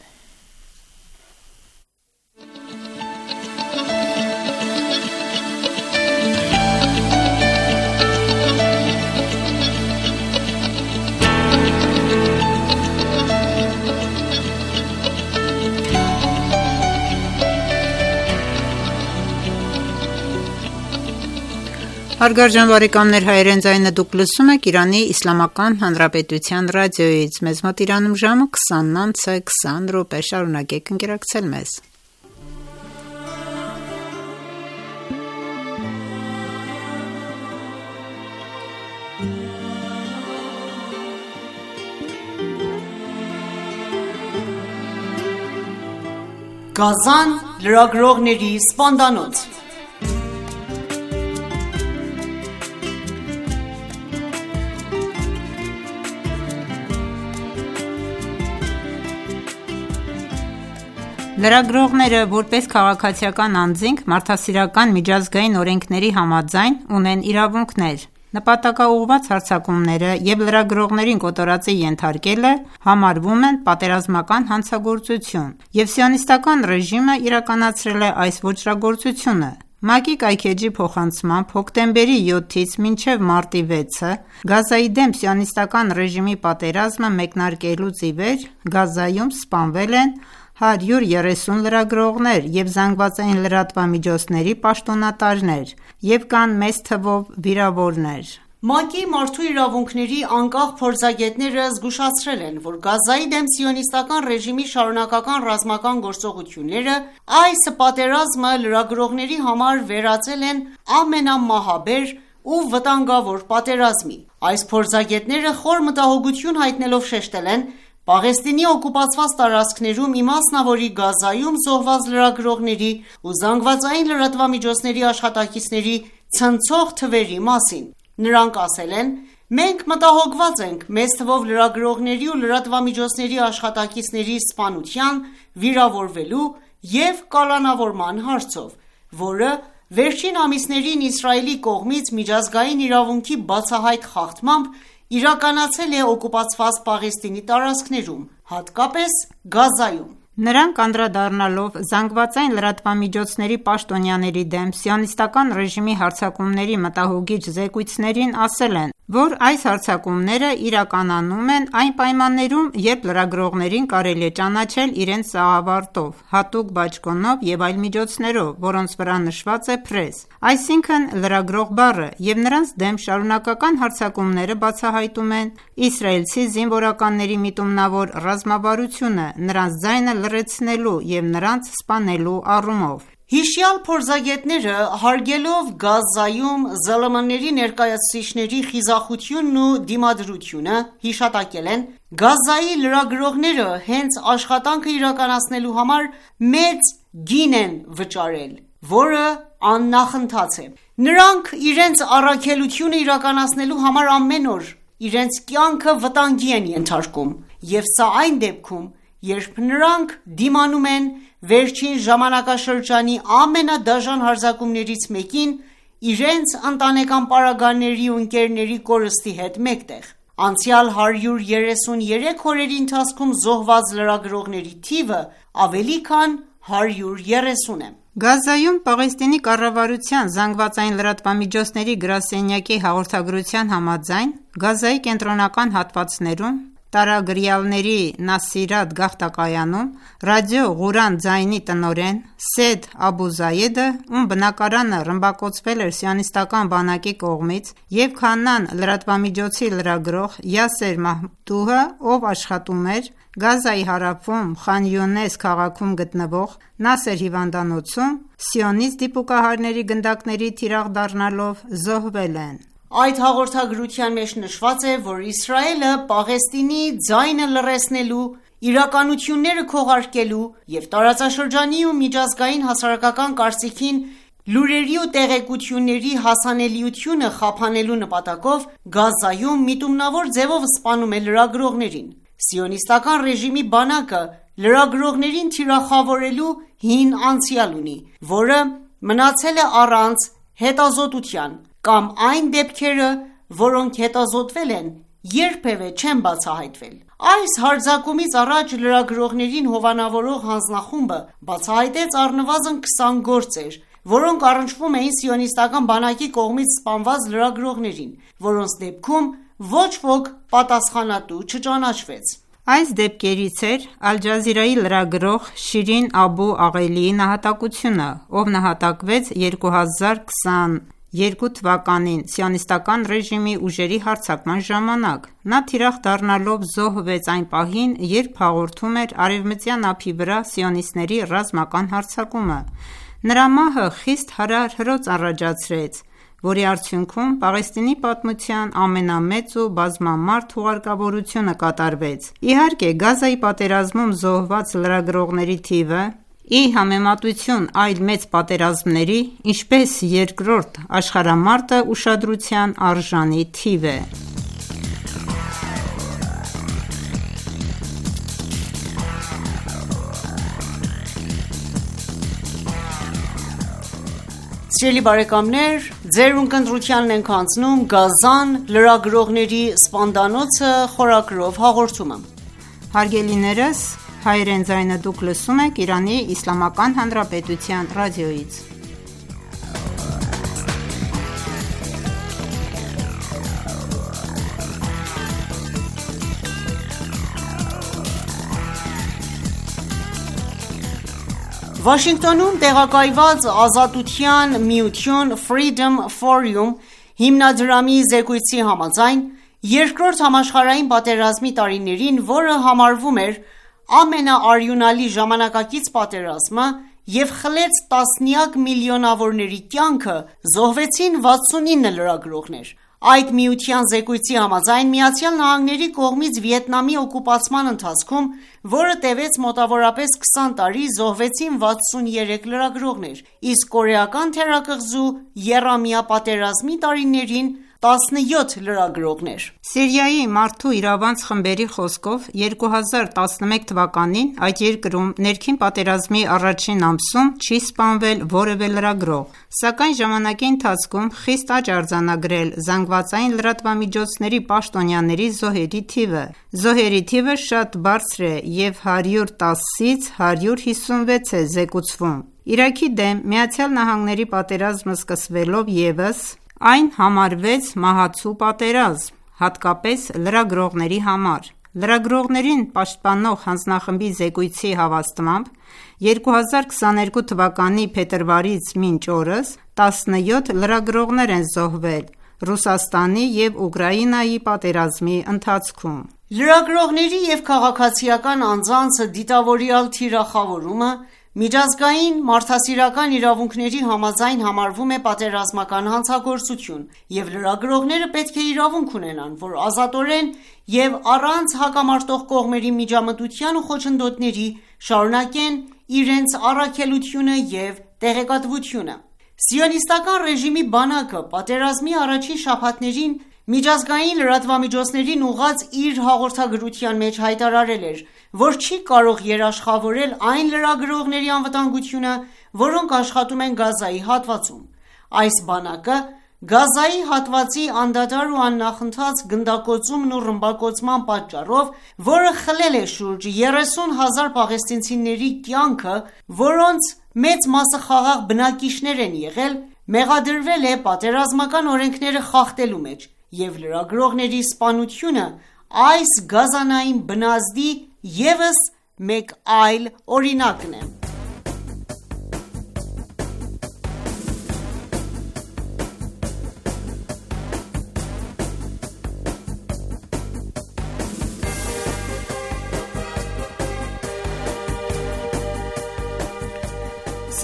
Հարգարժան բարեկամներ, հայերեն ձայնը դուք լսում եք Իրանի Իսլամական Հանրապետության ռադիոյից։ Մեզ մոտ Իրանում ժամը 20:20 շարունակեք ընկերակցել մեզ։ Գազան լրագրողների սպանդանոց։ Լրագրողները, որպես քաղաքացիական անձինք, մարդասիրական միջազգային օրենքների համաձայն ունեն իրավունքներ։ Նպատակաուղղված հարձակումները եւ լրագրողներին կոտորածի ենթարկելը համարվում են պատերազմական հանցագործություն, եւ սիոնիստական ռեժիմը իրականացրել է այս ոճրագործությունը։ ՄԱԿ-ի կայքէջի փոխանցմամբ հոկտեմբերի 7-ից մինչև մարտի 6-ը Գազայի դեմ սիոնիստական ռեժիմի պատերազմը մեկնարկելուց ի վեր Գազայում սպանվել են 130 լրագրողներ եւ զանգվածային լրատվամիջոցների պաշտոնատարներ եւ կան մեծ թվով վիրավորներ։ ՄԱԿ-ի մարդու իրավունքների անկախ փորձագետները զգուշացրել են, որ Գազայի դեմ սիոնիստական ռեժիմի շարունակական ռազմական գործողությունները այս պատերազմը լրագրողների համար վերածել են ամենամահաբեր ու վտանգավոր պատերազմի։ Այս փորձագետները խոր մտահոգություն հայտնելով շեշտել են Պաղեստինի օկուպացված տարածքներում իմասնավորի Գազայում զոհված լրագրողների ու զանգվածային լրատվամիջոցների աշխատակիցների ցնցող թվերի մասին։ Նրանք ասել են. «Մենք մտահոգված ենք մեծ թվով լրագրողների ու լրատվամիջոցների աշխատակիցների սպանության, վիրավորվելու և կալանավորման հարցով, որը վերջին ամիսներին Իսրայելի կողմից միջազգային իրավունքի բացահայտ խախտմամբ իրականացել է օկուպացված Պաղեստինի տարածքներում, հատկապես Գազայում»։ Նրանք անդրադառնալով զանգվածային լրատվամիջոցների պաշտոնյաների դեմ սիոնիստական ռեժիմի հարձակումների մտահոգիչ զեկույցներին ասել են, որ այս հարձակումները իրականանում են այն պայմաններում, երբ լրագրողներին կարելի է ճանաչել իրենց սաղավարտով, հատուկ բաճկոնով եւ այլ միջոցներով, որոնց վրա նշված է «Press», այսինքն լրագրող բառը, եւ նրանց դեմ շարունակական հարձակումները բացահայտում են իսրայելցի զինվորականների միտումնավոր ռազմավարությունը, նրանց ձայնը լռեցնելու եւ նրանց սպանելու առումով։ Հիշյալ փորձագետները հարգելով Գազայում ԶԼՄ-ների ներկայացուցիչների խիզախությունն ու դիմադրությունը հիշատակել են Գազայի լրագրողները հենց աշխատանքը իրականացնելու համար մեծ գին են վճարել, որը աննախընթաց է։ Նրանք իրենց առաքելությունը իրականացնելու համար ամեն օր իրենց կյանքը վտանգի են ենթարկում, եւ սա այն դեպքում, երբ նրանք դիմանում են վերջին ժամանակաշրջանի ամենադաժան հարձակումներից մեկին իրենց ընտանեկան պարագաների ու ընկերների կորստի հետ մեկտեղ։ Անցյալ 133 օրերի ընթացքում զոհված լրագրողների թիվը ավելի քան 130 է։ Գազայում Պաղեստինի կառավարության ԶԼՄ-ների գրասենյակի հաղորդագրության համաձայն, Գազայի կենտրոնական հատվածներում տարագրյալների Նասիրատ գաղթակայանում ռադիո Ղուրան ձայնի տնօրեն Սեյեդ Աբու Զայեդը, ում բնակարանը ռմբակոծվել էր սիոնիստական բանակի կողմից, և Քանան լրատվամիջոցի լրագրող Յասեր Մահմուդուհը, ով աշխատում էր Գազայի հարավում Խան Յունես քաղաքում գտնվող Նասեր հիվանդանոցում, սիոնիստ դիպուկահարների գնդակների թիրախ դառնալով զոհվել են։ Այդ հաղորդագրության մեջ նշված է, որ Իսրայելը Պաղեստինի ձայնը լռեցնելու, իրականությունները քողարկելու և տարածաշրջանի ու միջազգային հասարակական կարծիքին լուրերի ու տեղեկությունների հասանելիությունը խափանելու նպատակով Գազայում միտումնավոր ձևով սպանում է լրագրողներին։ Սիոնիստական ռեժիմի բանակը լրագրողներին թիրախավորելու հին անցյալ ունի, որը մնացել է առանց հետազոտության, կամ այն դեպքերը, որոնք հետազոտվել են, երբևէ չեն բացահայտվել։ Այս հարձակումից առաջ լրագրողներին հովանավորող հանձնախումբը բացահայտեց առնվազն 20 գործեր, որոնք առնչվում էին սիոնիստական բանակի կողմից սպանված լրագրողներին, որոնց դեպքում ոչ ոք պատասխանատու չճանաչվեց։ Այս դեպքերից էր Ալ Ջազիրայի լրագրող Շիրին Աբու Աղելիի նահատակությունը, ով նահատակվեց 2022 թվականին սիոնիստական ռեժիմի ուժերի հարձակման ժամանակ։ Նա թիրախ դառնալով զոհվեց այն պահին, երբ հաղորդում էր արևմտյան ափի վրա սիոնիստների ռազմական հարձակումը։ Նրա մահը խիստ հարահրոց առաջացրեց, որի արդյունքում Պաղեստինի պատմության ամենամեծ ու բազմամարդ հուղարկավորությունը կատարվեց։ Իհարկե, Գազայի պատերազմում զոհված լրագրողների թիվը, ի համեմատություն այլ մեծ պատերազմների, ինչպես Երկրորդ աշխարհամարտը, ուշադրության արժանի թիվ է։ Սիրելի բարեկամներ, ձեր ունկնդրությանն ենք անցնում Գազան լրագրողների սպանդանոցը խորագրով հաղորդումը։ Հարգելիներս, հայերեն ձայնը դուք լսում եք Իրանի Իսլամական Հանրապետության ռադիոյից։ Վաշինգտոնում տեղակայված Ազատության միություն Freedom Forum հիմնադրամի զեկույցի համաձայն, Երկրորդ համաշխարհային պատերազմի տարիներին, որը համարվում էր ամենաարյունալի ժամանակակից պատերազմը և խլեց տասնյակ միլիոնավորների կյանքը, զոհվեցին 69 լրագրողներ։ Այդ միության զեկույցի համաձայն ԱՄՆ-ի կողմից Վիետնամի օկուպացման ընթացքում, որը տևեց մոտավորապես 20 տարի, զոհվեցին 63 լրագրողներ, իսկ կորեական թերակղզու եռամյա պատերազմի տարիներին 17 լրագրողներ։ Սիրիայի մարդու իրավանց խմբերի խոսքով 2011 թվականին այդ երկրում ներքին պատերազմի առաջին ամսում չի սպանվել որևէ լրագրող, սակայն ժամանակի ընթացքում խիստ աճ արձանագրել զանգվածային լրատվամիջոցների պաշտոնյաների զոհերի թիվը։ Զոհերի թիվը շատ բարձր է և 110-ից 156 է զեկուցվում։ Իրաքի դեմ ԱՄՆ-ի պատերազմը սկսվելով ևս այն համարվեց մահացու պատերազմ, հատկապես լրագրողների համար։ Լրագրողներին պաշտպանող հանձնախմբի զեկույցի հավաստմամբ 2022 թվականի փետրվարից մինչ օրս 17 լրագրողներ են զոհվել Ռուսաստանի և Ուկրաինայի պատերազմի ընթացքում։ Լրագրողների և քաղաքացիական անձանց դիտավորյալ թիրախավորումը միջազգային մարդասիրական իրավունքների համաձայն համարվում է պատերազմական հանցագործություն, և լրագրողները պետք է իրավունք ունենան, որ ազատորեն և առանց հակամարտող կողմերի միջամտության ու խոչընդոտների շարունակեն իրենց առաքելությունը և տեղեկատվությունը։ Սիոնիստական ռեժիմի բանակը պատերազմի առաջին շաբաթներին միջազգային լրատվամիջոցներին ուղղած իր հաղորդագրության մեջ հայտարարել էր, որ չի կարող երաշխավորել այն լրագրողների անվտանգությունը, որոնք աշխատում են Գազայի հատվածում։ Այս բանակը Գազայի հատվածի անդադար ու աննախընթաց գնդակոծումն ու ռմբակոծման պատճառով, որը խլել է շուրջ 30,000 պաղեստինցիների կյանքը, որոնց մեծ մասը խաղաղ բնակիչներ են եղել, մեղադրվել է պատերազմական օրենքները խախտելու մեջ, և լրագրողների սպանությունը այս գազանային բնազդի ևս մեկ այլ օրինակն է։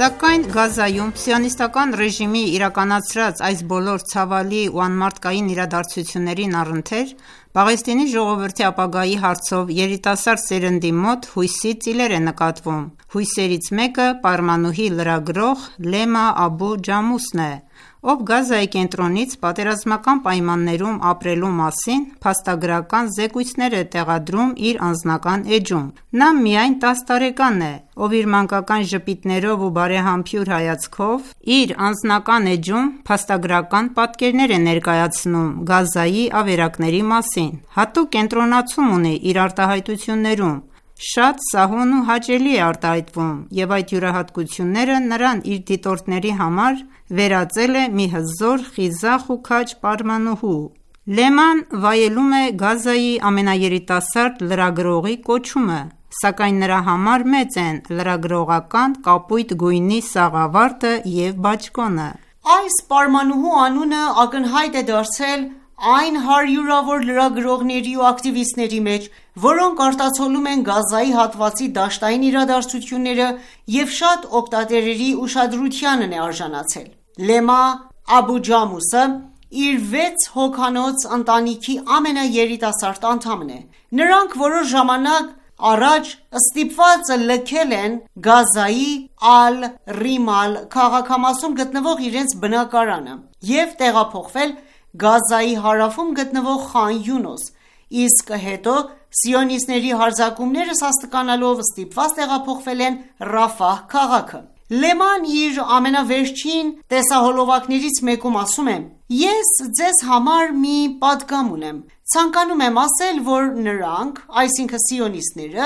Սակայն Գազայում սիոնիստական ռեժիմի իրականացրած այս բոլոր ցավալի ու անմարդկային իրադարձություններին առընթեր, Պաղեստինի ժողովրդի ապագայի հարցով երիտասարդ սերնդի մոտ հույսի ծիլեր է նկատվում։ Հույսերից մեկը պարմանուհի լրագրող Լեմա Աբու Ջամուսն է, ով Գազայի կենտրոնից պատերազմական պայմաններում ապրելու մասին փաստագրական զեկույցներ է տեղադրում իր անձնական էջում։ Նա միայն 10 տարեկան է, ով իր մանկական ժպիտներով ու բարեհամբույր հայացքով իր անձնական էջում փաստագրական պատկերներ է ներկայացնում Գազայի ավերակների մասին, հատուկ կենտրոնացում ունի իր արտահայտություններում, շատ սահուն ու հաճելի է արտահայտվում, և այդ յուրահատկությունները նրան իր դիտորդների համար վերածել է մի հզոր, խիզախ ու քաջ պարմանուհու։ Լեման վայելում է Գազայի ամենաերիտասարդ լրագրողի կոչումը, սակայն նրա համար մեծ են լրագրողական կապույտ գույնի սաղավարտը և բաճկոնը։ Այս պարմանուհու անունը ակնհայտ է դարձել այն հարյուրավոր լրագրողների ու ակտիվիստների մեջ, որոնք արտացոլում են Գազայի հատվածի դաշտային իրադարձությունները և շատ օգտատերերի ուշադրությանն է արժանացել։ Լեմա Աբու Ջամուսը իր 6 հոգանոց ընտանիքի ամենաերիտասարդ անդամն է։ Նրանք որոշ ժամանակ առաջ ստիպված լքել են Գազայի Ալ-Ռիմալ քաղաքամասում գտնվող իրենց բնակարանը և տեղափոխվել Գազայի հարավում գտնվող Խան Յունոս, իսկ հետո սիոնիստների հարձակումները սաստկանալով ստիպված տեղափոխվել են Ռաֆահ քաղաքը։ Լեման իր ամենավերջին տեսահոլովակներից մեկում ասում է. «Ես ձեզ համար մի պատգամ ունեմ։ Ցանկանում եմ ասել, որ նրանք, այսինքն սիոնիստները,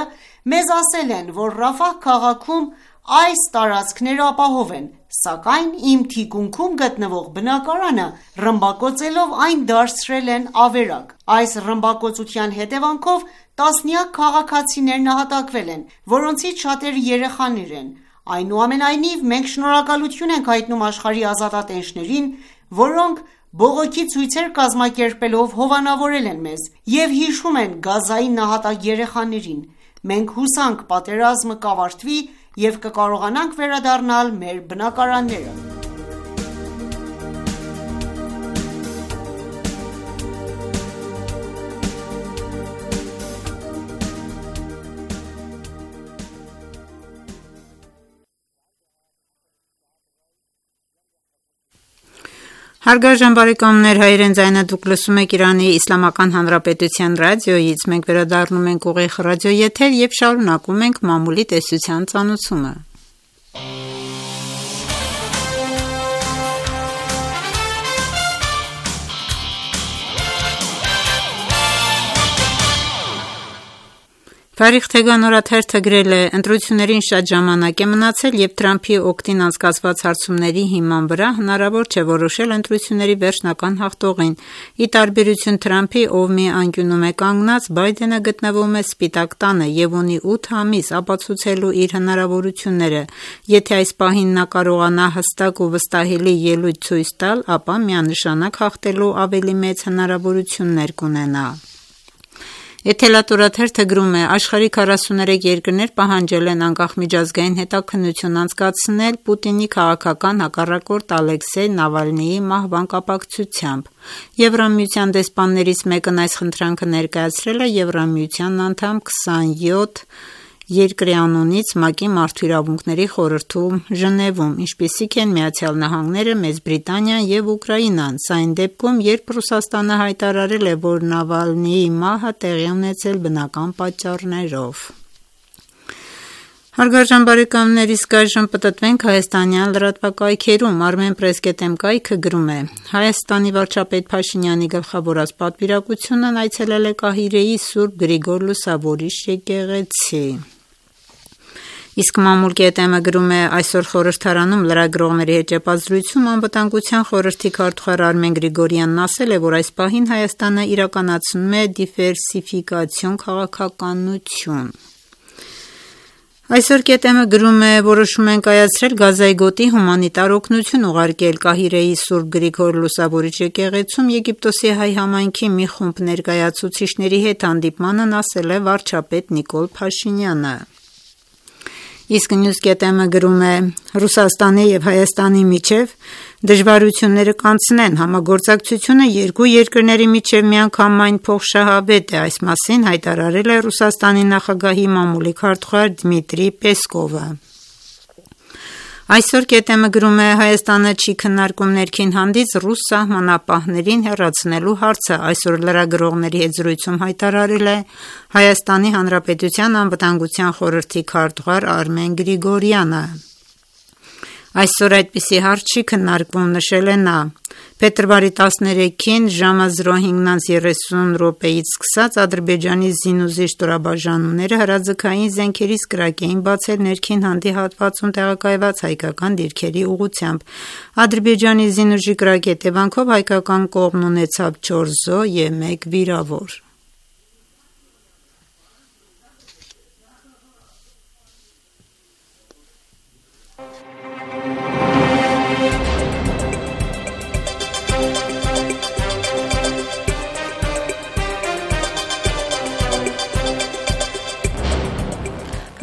մեզ ասել են, որ Ռաֆահ քաղաքում այս տարածքները ապահով են, սակայն իմ թիկունքում գտնվող բնակարանը ռմբակոծելով այն դարձրել են ավերակ։ Այս ռմբակոծության հետևանքով տասնյակ քաղաքացիներ նահատակվել են, որոնցից շատերը երեխաներ են։ Այնուամենայնիվ, մենք շնորհակալություն ենք հայտնում աշխարհի ազատատենչներին, որոնք բողոքի ցույցեր կազմակերպելով հովանավորել են մեզ և հիշում են Գազայի նահատակ երեխաներին։ Մենք հուսանք պատերազմը կավարտվի և կկարողանանք վերադառնալ մեր բնակարանները»։ Հարգարժան բարեկամներ, հայերեն ձայնը դուք լսում եք Իրանի Իսլամական Հանրապետության ռադիոյից, մենք վերադառնում ենք ուղիղ ռադիոեթեր և շարունակում ենք մամուլի տեսության ծանուցումը։ Թարիխ Թեգան օրաթերթը գրել է. ընտրություններին շատ ժամանակ է մնացել և Թրամփի օգտին անցկացված հարցումների հիման վրա հնարավոր չէ որոշել ընտրությունների վերջնական հաղթողին։ Ի տարբերություն Թրամփի, ով մի անկյունում է կանգնած, Բայդենը գտնվում է Սպիտակ տանը և ունի 8 ամիս ապացուցելու իր հնարավորությունները։ Եթե այս պահին նա կարողանա հստակ ու վստահելի ելույթ ցույց տալ, ապա միանշանակ հաղթելու ավելի մեծ հնարավորություններ կունենա։ Էթելատ օրաթերթը գրում է. աշխարհի 43 երկրներ պահանջել են անկախ միջազգային հետաքննություն անցկացնել Պուտինի քաղաքական հակառակորդ Ալեքսեյ Նավալնիի մահվան կապակցությամբ։ Եվրամիության դեսպաններից մեկն այս խնդրանքը ներկայացրել է Եվրամիության անդամ 27 երկրի անունից ՄԱԿ-ի Մարդու իրավունքների խորհրդում Ժնևում, ինչպիսիք են Միացյալ Նահանգները, Մեծ Բրիտանիան և Ուկրաինան։ Սա այն դեպքում, երբ Ռուսաստանը հայտարարել է, որ Նավալնիի մահը տեղի ունեցել բնական պատճառներով։ Հարգարժան բարեկամներ, իսկ այժմ պտտվենք հայաստանյան լրատվակայքերում։ Armenpress.am կայքը գրում է. Հայաստանի վարչապետ Փաշինյանի գլխավորած պատվիրակությունն այցելել է Կահիրեի Սուրբ Գրիգոր Լուսավորիչ եկեղեցի։ Իսկ Մամուլ.am-ը գրում է. այսօր խորհրդարանում լրագրողների հետ ճեպազրույցում անվտանգության խորհրդի քարտուղար Արմեն Գրիգորյանն ասել է, որ այս պահին Հայաստանը իրականացնում է դիվերսիֆիկացիոն քաղաքականություն։ Այսօր ԿՏՄ-ը գրում է. որոշում են կայացրել Գազայի գոտի հումանիտար օգնություն ուղարկել Կահիրեի Սուրբ Գրիգոր Լուսավորիչ եկեղեցում Եգիպտոսի հայ համայնքի մի խումբ ներկայացուցիչների հետ հանդիպմանն ասել է վարչապետ Նիկոլ Փաշինյանը։ Իսկ News.am-ը գրում է. Ռուսաստանի եւ Հայաստանի միջև դժվարությունները կանցնեն, համագործակցությունը երկու երկրների միջև միանգամայն փոխշահավետ է, այս մասին հայտարարել է Ռուսաստանի նախագահի մամուլի քարտուղար Դմիտրի Պեսկովը։ Այսօր ԿՏՄ-ը գրում է. Հայաստանը չի քննարկում ներքին հանդից ռուս սահմանապահներին հեռացնելու հարցը, այսօր լրագրողների հետ զրույցում հայտարարել է Հայաստանի Հանրապետության անվտանգության խորհրդի քարտուղար Արմեն Գրիգորյանը։ Այսօր այդպիսի հարց չի քննարկվում, նշել է նա։ Փետրվարի 13-ին ժամը 05:30-ից սկսած Ադրբեջանի զինուժի ստորաբաժանումները հրաձգային զենքերից կրակ էին բացել ներքին հանդի հատվածում տեղակայված հայկական դիրքերի ուղղությամբ։ Ադրբեջանի զինուժի կրակի հետևանքով հայկական կողմն ունեցավ 4 զոհ և 1 վիրավոր։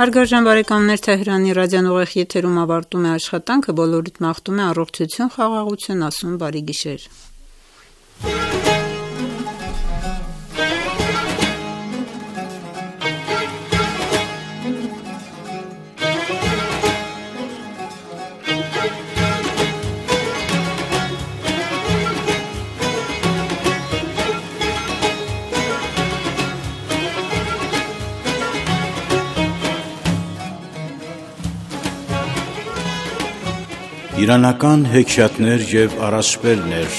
Հարգարժան բարեկամներ, Թեհրանի ռադիոն ուղիղ եթերում ավարտում է աշխատանքը, բոլորիդ մաղթում է առողջություն, խաղաղություն, ասում բարի գիշեր։ Իրանական հեքիաթներ և առասպելներ։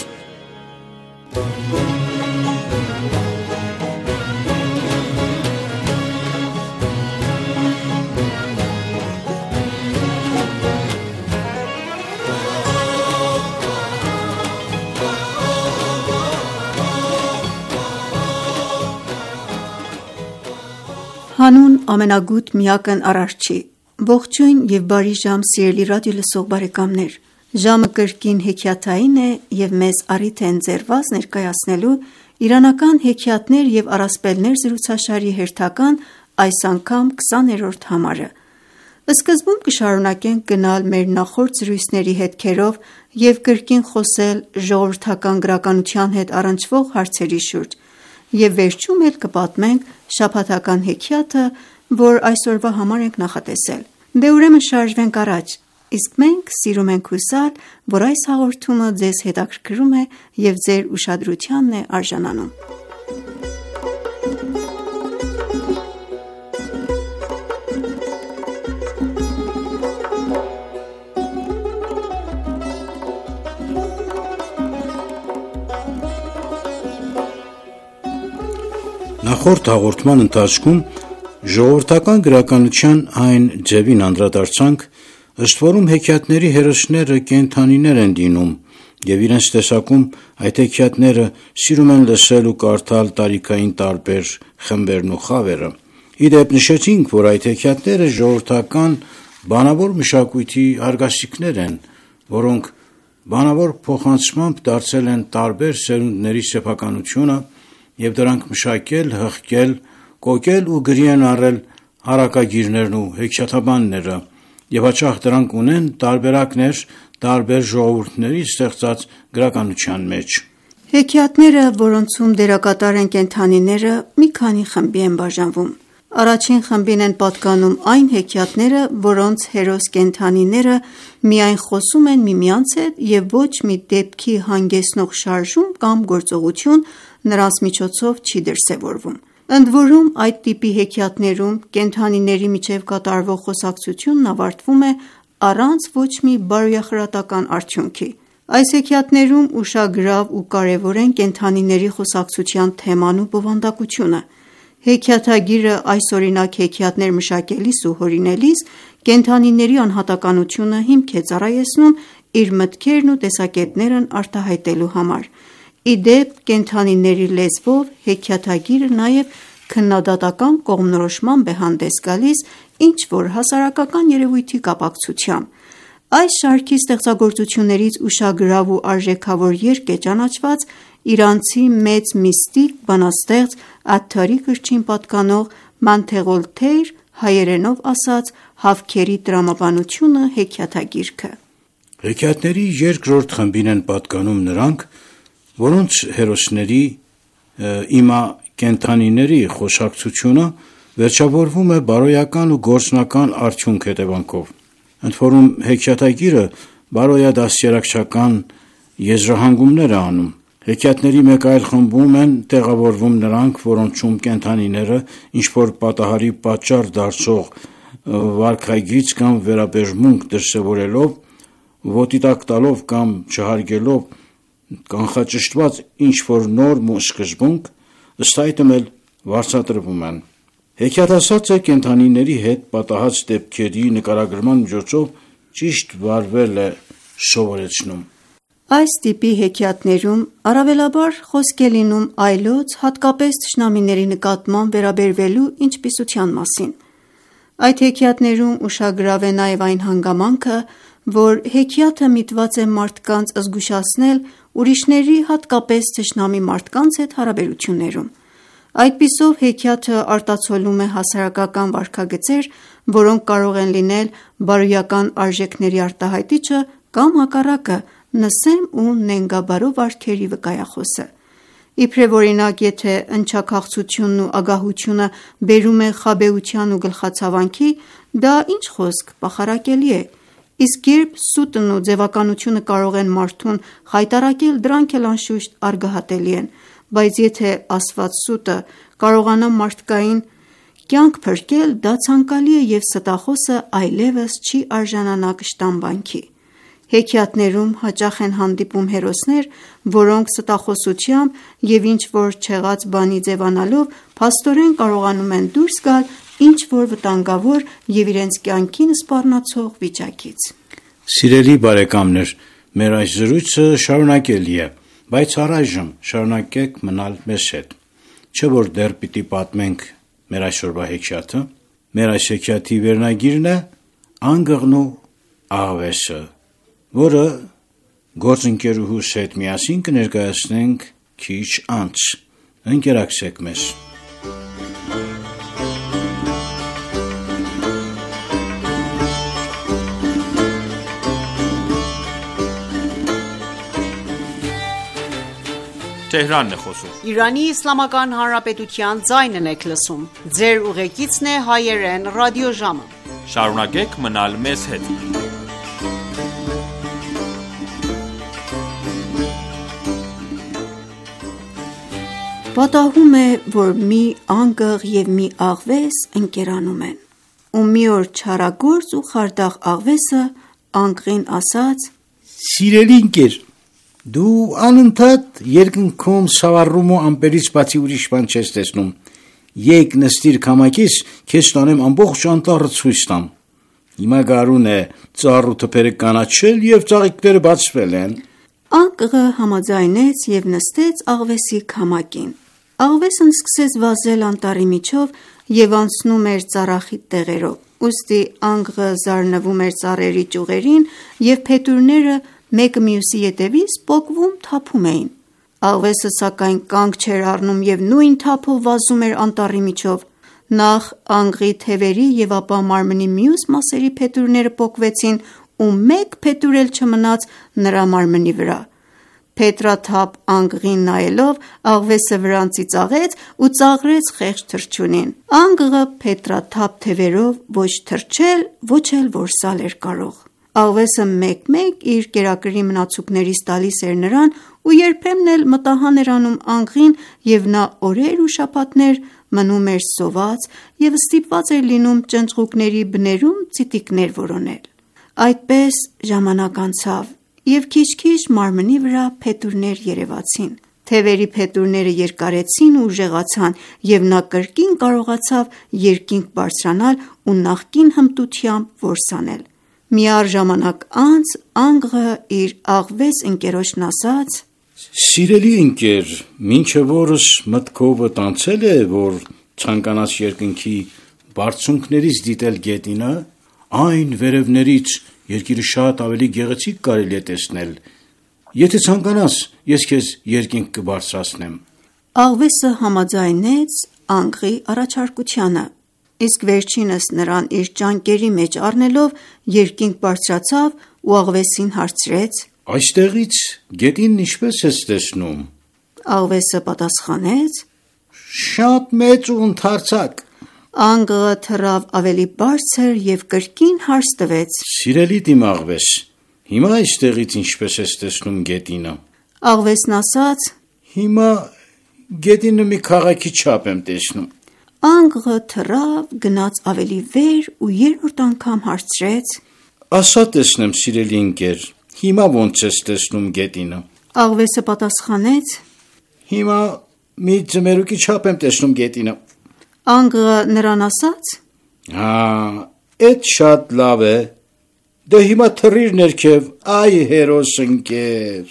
Հանուն ամենագութ միակն Արարչի։ Ողջույն և բարի ժամ սիրելի ռադիո լսող բարեկամներ։ Ժամը կրկին հեքիաթային է և մեզ առիթ է ընձեռված ներկայացնելու իրանական հեքիաթներ և առասպելներ զրուցաշարի հերթական այս անգամ 20-րդ համարը։ Սկզբում կշարունակենք գնալ մեր նախորդ զրույցների հետքերով և կրկին խոսել ժողովրդական գրականության հետ առնչվող հարցերի շուրջ և վերջում էլ կպատմենք շաբաթական հեքիաթը, որ այսօրվա համար ենք նախատեսել։ Դե ուրեմն շարժվենք առաջ, իսկ մենք սիրում ենք հուսալ, որ այս հաղորդումը ձեզ հետաքրքրում է և ձեր ուշադրությանն է արժանանում։ Նախորդ հաղորդման ընթացքում ժողովրդական գրականության այն ձևին անդրադարձանք, ըստ որում հեքիաթների հերոսները կենդանիներ են լինում և իրենց տեսակում այդ հեքիաթները սիրում են լսել ու կարդալ տարիքային տարբեր խմբերն ու խավերը։ Ի դեպ նշեցինք, որ այդ հեքիաթները ժողովրդական բանավոր մշակույթի արգասիքներ են, որոնք բանավոր փոխանցմամբ դարձել են տարբեր սերունդների սեփականությունը և դրանք մշակել, հղկել, կոկել ու գրի են առել հարակագիրներն ու հեքիաթաբանները և հաճախ դրանք ունեն տարբերակներ տարբեր ժողովուրդների ստեղծած գրականության մեջ։ Հեքիաթները, որոնցում դերակատար են կենդանիները, մի քանի խմբի են բաժանվում։ Առաջին խմբին են պատկանում այն հեքիաթները, որոնց հերոս կենդանիները միայն խոսում են միմյանց հետ և ոչ մի դեպքի հանգեցնող շարժում կամ գործողություն նրանց միջոցով չի դրսևորվում։ Ընդ որում, այդ տիպի հեքիաթներում կենդանիների միջև կատարվող խոսակցությունն ավարտվում է առանց ոչ մի բարոյախրատական արդյունքի։ Այս հեքիաթներում ուշագրավ ու կարևոր են կենդանիների խոսակցության թեման ու բովանդակությունը։ Հեքիաթագիրը այսօրինակ հեքիաթներ մշակելիս ու հորինելիս կենդանիների անհատականությունը հիմք է ծառայեցնում իր մտքերն ու տեսակետներն արտահայտելու համար։ Ի դեպ, կենդանիների լեզվով հեքիաթագիրը նաև քննադատական կողմնորոշմամբ է հանդես գալիս ինչ-որ հասարակական երևույթի կապակցությամբ։ Այս շարքի ստեղծագործություններից ուշագրավ ու արժեքավոր երգ է ճանաչված իրանցի մեծ միստիկ, բանաստեղծ Աթթարի կրթչին պատկանող «Մանթեղոլթեյր» հայերենով ասած «Հավքերի տրամաբանությունը» հեքիաթագիրքը։ Հեքիաթների երկրորդ խմբին են պատկանում նրանք, որոնց հերոսների իմա կենդանիների խոսակցությունը վերջավորվում է բարոյական ու գործնական արդյունք հետևանքով։ Ընդ որում հեքիաթագիրը բարոյադաստիարակչական եզրահանգումներ է անում։ Հեքիաթների մեկ այլ խմբում են տեղավորվում նրանք, որոնցում կենդանիները ինչ-որ պատահարի պատճառ դարձող վարքագիծ կամ վերաբերմունք դրսևորելով, ոտի տակ տալով կամ չհարգելով կանխաճշտված ինչ-որ նորմ ու սկզբունք, ըստ այդմ էլ վարձատրվում են։ Հեքիաթասացը կենդանիների հետ պատահած դեպքերի նկարագրման միջոցով ճիշտ վարվել է սովորեցնում։ Այս տիպի հեքիաթներում առավելաբար խոսք է լինում այլոց, հատկապես թշնամիների նկատմամբ վերաբերվելու ինչպիսության մասին։ Այդ հեքիաթներում ուշագրավ է նաև այն հանգամանքը, որ հեքիաթը միտված է մարդկանց զգուշացնել ուրիշների, հատկապես թշնամի մարդկանց հետ հարաբերություններում։ Այդպիսով հեքիաթը արտացոլում է հասարակական վարքագծեր, որոնք կարող են լինել բարոյական արժեքների արտահայտիչը կամ հակառակը նսեմ ու նենգաբարո վարքերի վկայախոսը։ Իբրև օրինակ, եթե ընչաքաղցությունն ու ագահությունը բերում է խաբեության ու գլխացավանքի, դա ինչ խոսք պախարակելի է, իսկ երբ սուտն ու ձևականությունը կարող են մարդուն խայտառակել, դրանք էլ անշուշտ արգահատելի են, բայց եթե ասված սուտը կարողանա մարդկային կյանք փրկել, դա ցանկալի է և ստախոսը այլևս չի արժանանա կշտամբանքի։ Հեքիաթներում հաճախ են հանդիպում հերոսներ, որոնք ստախոսությամբ և ինչ-որ չեղած բանի ձևանալով փաստորեն կարողանում են դուրս գալ ինչ-որ վտանգավոր և իրենց կյանքին սպառնացող վիճակից։ Սիրելի բարեկամներ, մեր այս զրույցը շարունակելի է, բայց առայժմ շարունակեք մնալ մեզ հետ, չէ որ դեռ պիտի պատմենք մեր այսօրվա հեքիաթը։ Մեր այս հեքիաթի վերնագիրն է «Անգղն ու աղվեսը», որը գործընկերուհուս հետ միասին կներկայացնենք քիչ անց։ Ընկերակցեք մեզ։ Թեհրանն է խոսում։ Իրանի Իսլամական Հանրապետության ձայնն եք լսում։ Ձեր ուղեկիցն է հայերեն ռադիոժամը։ Շարունակեք մնալ մեզ հետ։ Պատահում է, որ մի անգղ և մի աղվես ընկերանում են, ու մի օր չարագործ ու խարդախ աղվեսը անգղին ասաց. Սիրելի ընկեր, դու անընդհատ երկնքում սավառում ու ամպերից բացի ուրիշ բան չես տեսնում։ Եկ նստիր քամակից, քեզ տանեմ ամբողջ անտառը ցույց տամ։ Հիմա գարուն է, ծառ ու թփերը կանաչել և ծաղիկները բացվել են։ Անգղը համաձայնեց և նստեց աղվեսի քամակին։ Աղվեսն սկսեց վազել անտառի միջով և անցնում էր ծառախիտ տեղերով, ուստի անգղը զարնվում էր ծառերի ճյուղերին և փետուրները մեկը մյուսի ետևից պոկվում թափում էին։ Աղվեսը սակայն կանգ չէր առնում և նույն թափով վազում էր անտառի միջով։ Նախ անգղի թևերի և ապա մարմնի մյուս մասերի փետուրները պոկվեցին ու մեկ փետուր էլ չմնաց նրա մարմնի վրա։ Փետրաթափ անգղին նայելով աղվեսը վրանցի ծաղեց ու ծաղրեց խեղճ թռչունին։ Անգղը փետրաթափ թևերով ոչ թռչել, ոչ էլ որսալ էր կարող։ Աղվեսը մեկ-մեկ իր կերակրի մնացուկներից տալիս էր նրան ու երբեմն էլ մտահան էր անում անգղին և նա օրեր ու շաբաթներ մնում էր սոված և ստիպված էր լինում ճնճղուկների բներում ծիտիկներ որոնել: Այդպես ժամանակ անցավ և քիչ-քիչ մարմնի վրա փետուրներ երևացին: Թևերի փետուրները երկարեցին ու ուժեղացան և նա կրկին կարողացավ երկինք բարձրանալ ու նախկին հմտությամբ որս անել: Միառժամանակ անց անգղը իր աղվես ընկերոջն ասաց. «Սիրելի ընկեր, մինչև օրս մտքովդ անցե՞լ է, որ ցանկանաս երկնքի բարձունքներից դիտել գետինը: Այն վերևներից երկիրը շատ ավելի գեղեցիկ կարելի է տեսնել: Եթե ցանկանաս, ես քեզ երկինք կբարձրացնեմ»: Աղվեսը համաձայնեց անգղի առաջարկությանը, իսկ վերջինս նրան իր ճանկերի մեջ առնելով երկինք բարձրացավ ու աղվեսին հարցրեց. «Այստեղից գետինն ինչպե՞ս ես տեսնում»: Աղվեսը պատասխանեց. «Շատ մեծ ու ընդարձակ»: Անգղը թռավ ավելի բարձր և կրկին հարց տվեց. «Սիրելի իմ աղվես, հիմա այստեղից ինչպե՞ս ես տեսնում գետինը»: Աղվեսն ասաց. «Հիմա գետինը մի քաղաքի չափ եմ տեսնում»: Անգղը թռավ, գնաց ավելի վեր ու երրորդ անգամ հարցրեց. «Ասա տեսնեմ, սիրելի ընկեր, հիմա ոնց ես տեսնում գետինը»: Աղվեսը պատասխանեց. «Հիմա մի ձմերուկի չափ եմ տեսնում գետինը»: Անգղը նրան ասաց. «Էդ շատ լավ է, դե հիմա թռիր ներքև, այ հերոս ընկեր»: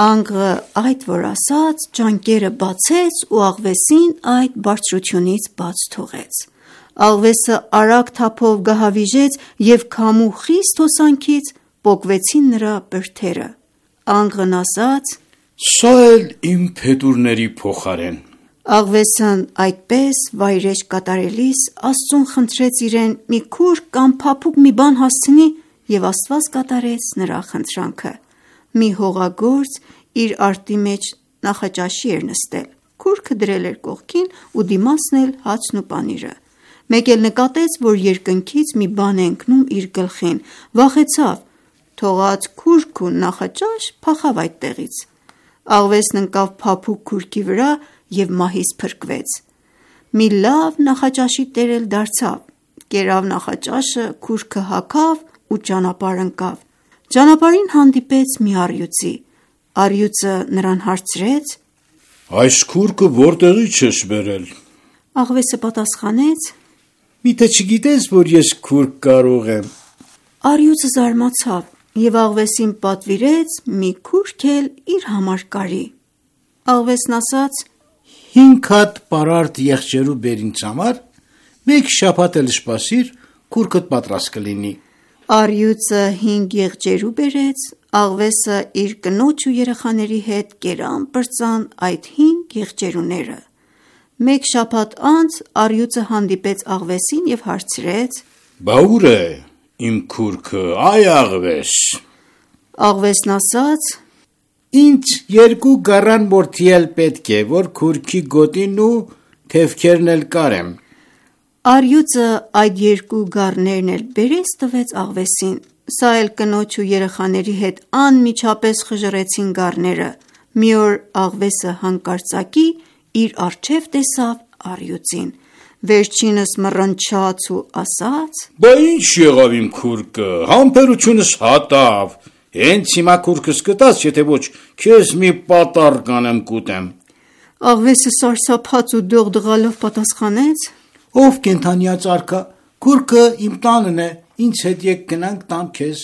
Անգղը այդ որ ասաց, ճանկերը բացեց ու աղվեսին այդ բարձրությունից բաց թողեց: Աղվեսը արագ թափով գահավիժեց և քամու խիստ հոսանքից պոկվեցին նրա բրդերը: Անգղն ասաց. «Սա էլ իմ փետուրների փոխարեն»: Աղվեսն այդպես վայրէջք կատարելիս Աստծուն խնդրեց իրեն մի քուր կամ փափուկ մի բան հասցնի և Աստված կատարեց նրա խնդրանքը: Մի հողագործ իր արտի մեջ նախաճաշի էր նստել: Քուրքը դրել էր կողքին ու դիմացն էլ հացն ու պանիրը: Մեկ էլ նկատեց, որ երկնքից մի բան է ընկնում իր գլխին: Վախեցավ, թողած քուրք ու նախաճաշ փախավ այդտեղից: Աղվեսն ընկավ փափուկ քուրքի վրա և մահից փրկվեց: Մի լավ նախաճաշի տեր էլ դարձավ: Կերավ նախաճաշը, քուրքը հագավ ու ճանապարհ ընկավ: Ճանապարհին հանդիպեց մի առյուծի: Առյուծը նրան հարցրեց. «Այս քուրքը որտեղից ես բերել»: Աղվեսը պատասխանեց. «Միթե չգիտես, որ ես քուրք կարող եմ»: Առյուծը զարմացավ և աղվեսին պատվիրեց մի քուրք էլ իր համար կարի: Աղվեսն ասաց. «5 հատ պարարտ եղջերու բեր ինձ համար, մեկ շաբաթ էլ սպասիր, քուրքդ պատրաստ կլինի»: Առյուծը 5 եղջերու բերեց: Աղվեսը իր կնոջ ու երեխաների հետ կերան պրծան այդ 5 եղջերուները: Մեկ շաբաթ անց առյուծը հանդիպեց աղվեսին և հարցրեց. «Բա ուր է իմ քուրքը, այ աղվես»: Աղվեսն ասաց. «Ինձ 2 գառան մորթի էլ պետք է, որ քուրքի գոտին ու թևքերն էլ կարեմ»: Առյուծը այդ 2 գառներն էլ բերեց տվեց աղվեսին: Սա էլ կնոջ ու երեխաների հետ անմիջապես խժռեցին գառները: Մի օր աղվեսը հանկարծակի իր առջև տեսավ առյուծին: Վերջինս մռնչաց ու ասաց. «Բա ինչ եղավ իմ քուրկը, համբերությունս հատավ, հենց հիմա քուրքս կտաս, եթե ոչ քեզ մի պատառ կանեմ կուտեմ»: Աղվեսը սարսափած ու դողդղալով պատասխանեց. «Ով կենդանյաց արքա, քուրքը իմ տանն է, ինձ հետ եկ գնանք տամ քեզ»: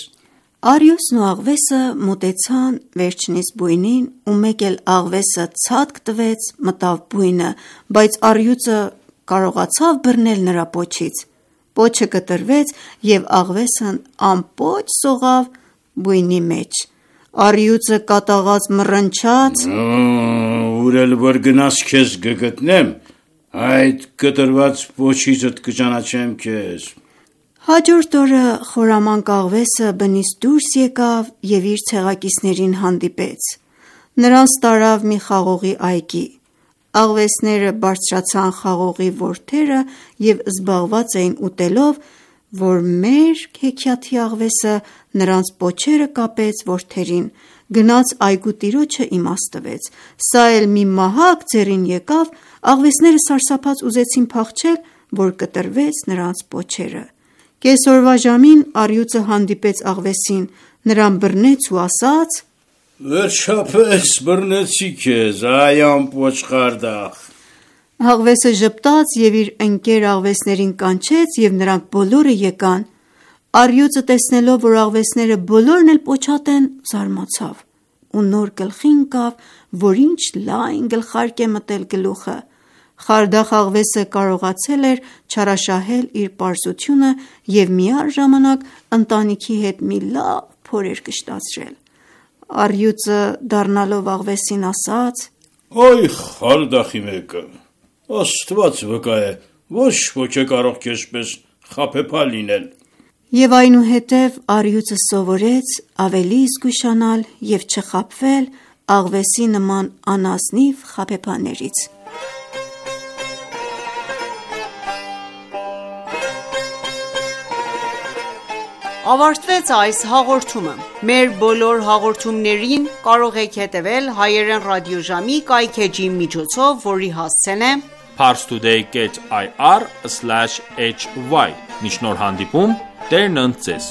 Առյուծն ու աղվեսը մոտեցան վերջինիս բույնին ու մեկ էլ աղվեսը ցատկ տվեց, մտավ բույնը, բայց առյուծը կարողացավ բռնել նրա պոչից: Պոչը կտրվեց և աղվեսն ամպոչ սողավ բույնի մեջ: Առյուծը կատաղած մռնչաց. «Ուր էլ որ գնաս քեզ կգտնեմ, այդ կտրված պոչիցդ կճանաչեմ քեզ»: Հաջորդ օրը խորամանկ աղվեսը բնից դուրս եկավ և իր ցեղակիցներին հանդիպեց: Նրանց տարավ մի խաղողի այգի: Աղվեսները բարձրացան խաղողի որդերը և զբաղված էին ուտելով, որ մերկ հեքիաթի աղվեսը նրանց պոչերը կապեց որդերին, գնաց այգու տիրոջը իմաստվեց: Սա էլ մի մահակ ձեռին եկավ, աղվեսները սարսափած ուզեցին փախչել, որ կտրվեց նրանց պոչերը: Կեսօրվա ժամին առյուծը հանդիպեց աղվեսին, նրան բռնեց ու ասաց. «Վերջապես բռնեցի քեզ, այ անպոչ խարդախ»: Աղվեսը ժպտաց և իր ընկեր աղվեսներին կանչեց և նրանք բոլորը եկան: Առյուծը տեսնելով, որ աղվեսները բոլորն էլ պոչատ են, զարմացավ ու նոր գլխի ընկավ, որ ինչ լայն գլխարկ է մտել գլուխը: Խարդախ աղվեսը կարողացել էր չարաշահել իր պարզությունը և միառժամանակ ընտանիքի հետ մի լավ փոր էր կշտացրել: Առյուծը դառնալով աղվեսին ասաց. «Այ խարդախի մեկը, Աստված վկա է, ոչ ոք է կարող քեզ պես խաբեբալ լինել»: Եվ այնուհետև առյուծը սովորեց ավելի զգուշանալ և չխաբվել աղվեսի նման անազնիվ խաբեբաներից: Ավարտվեց այս հաղորդումը: Մեր բոլոր հաղորդումներին կարող եք հետևել հայերեն ռադիոժամի կայքէջի միջոցով, որի հասցեն է parstoday.ir/hy: Մինչ նոր հանդիպում, Տերն ընդ Ձեզ: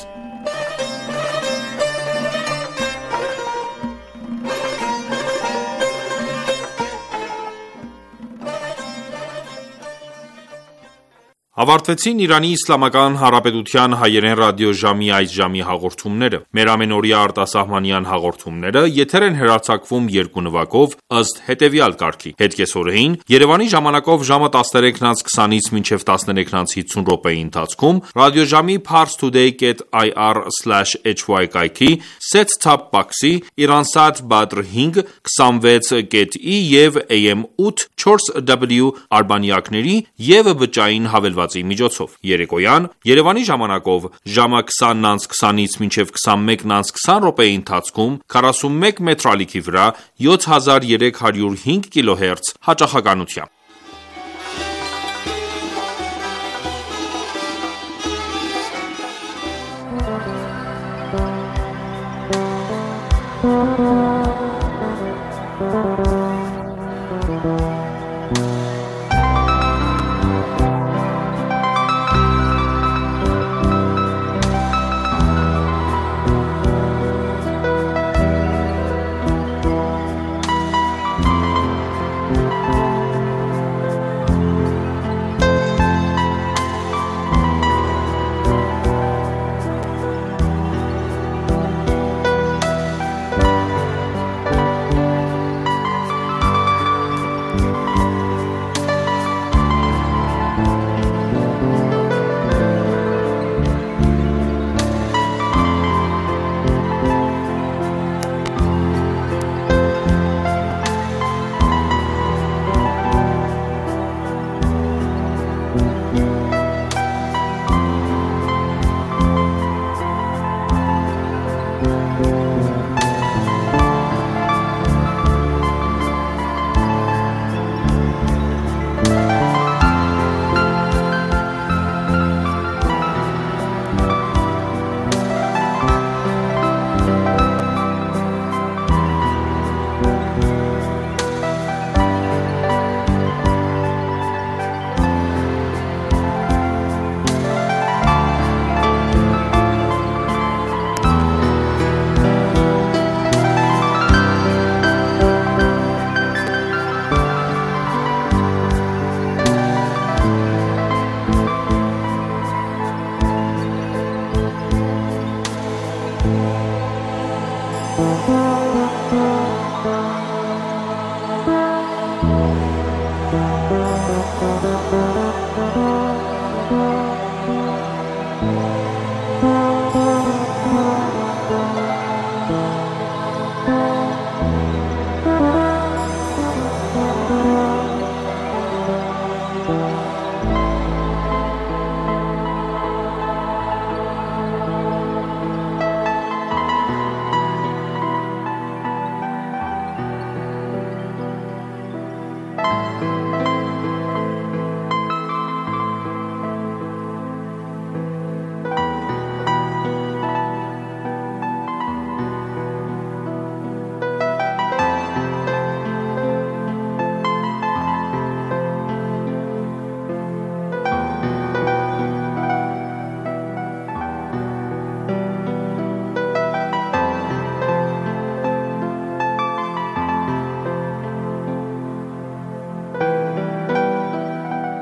Ավարտվեցին Իրանի Իսլամական Հանրապետության հայերեն ռադիոժամի այս ժամի հաղորդումները: Մեր ամենօրյա արտասահմանյան հաղորդումները եթեր են հեռարձակվում երկու նվագով, ըստ հետևյալ կարգի: Հետկեսօրեին Երևանի ժամանակով ժամը 13:20-ից մինչև 13:50 րոպեի ընթացքում ռադիոժամի parstoday.ir/hy կայքի set-top box-ի, Iransat Badr 5, 26.E և AM 8 4W արբանյակների և բջջային հավելվածի միջոցով: Երեկոյան Երևանի ժամանակով ժամը 20:20-ից մինչև 21:20 րոպեի ընթացքում 41 մետրալիքի վրա 7305 կՎտ հաճախականությամբ: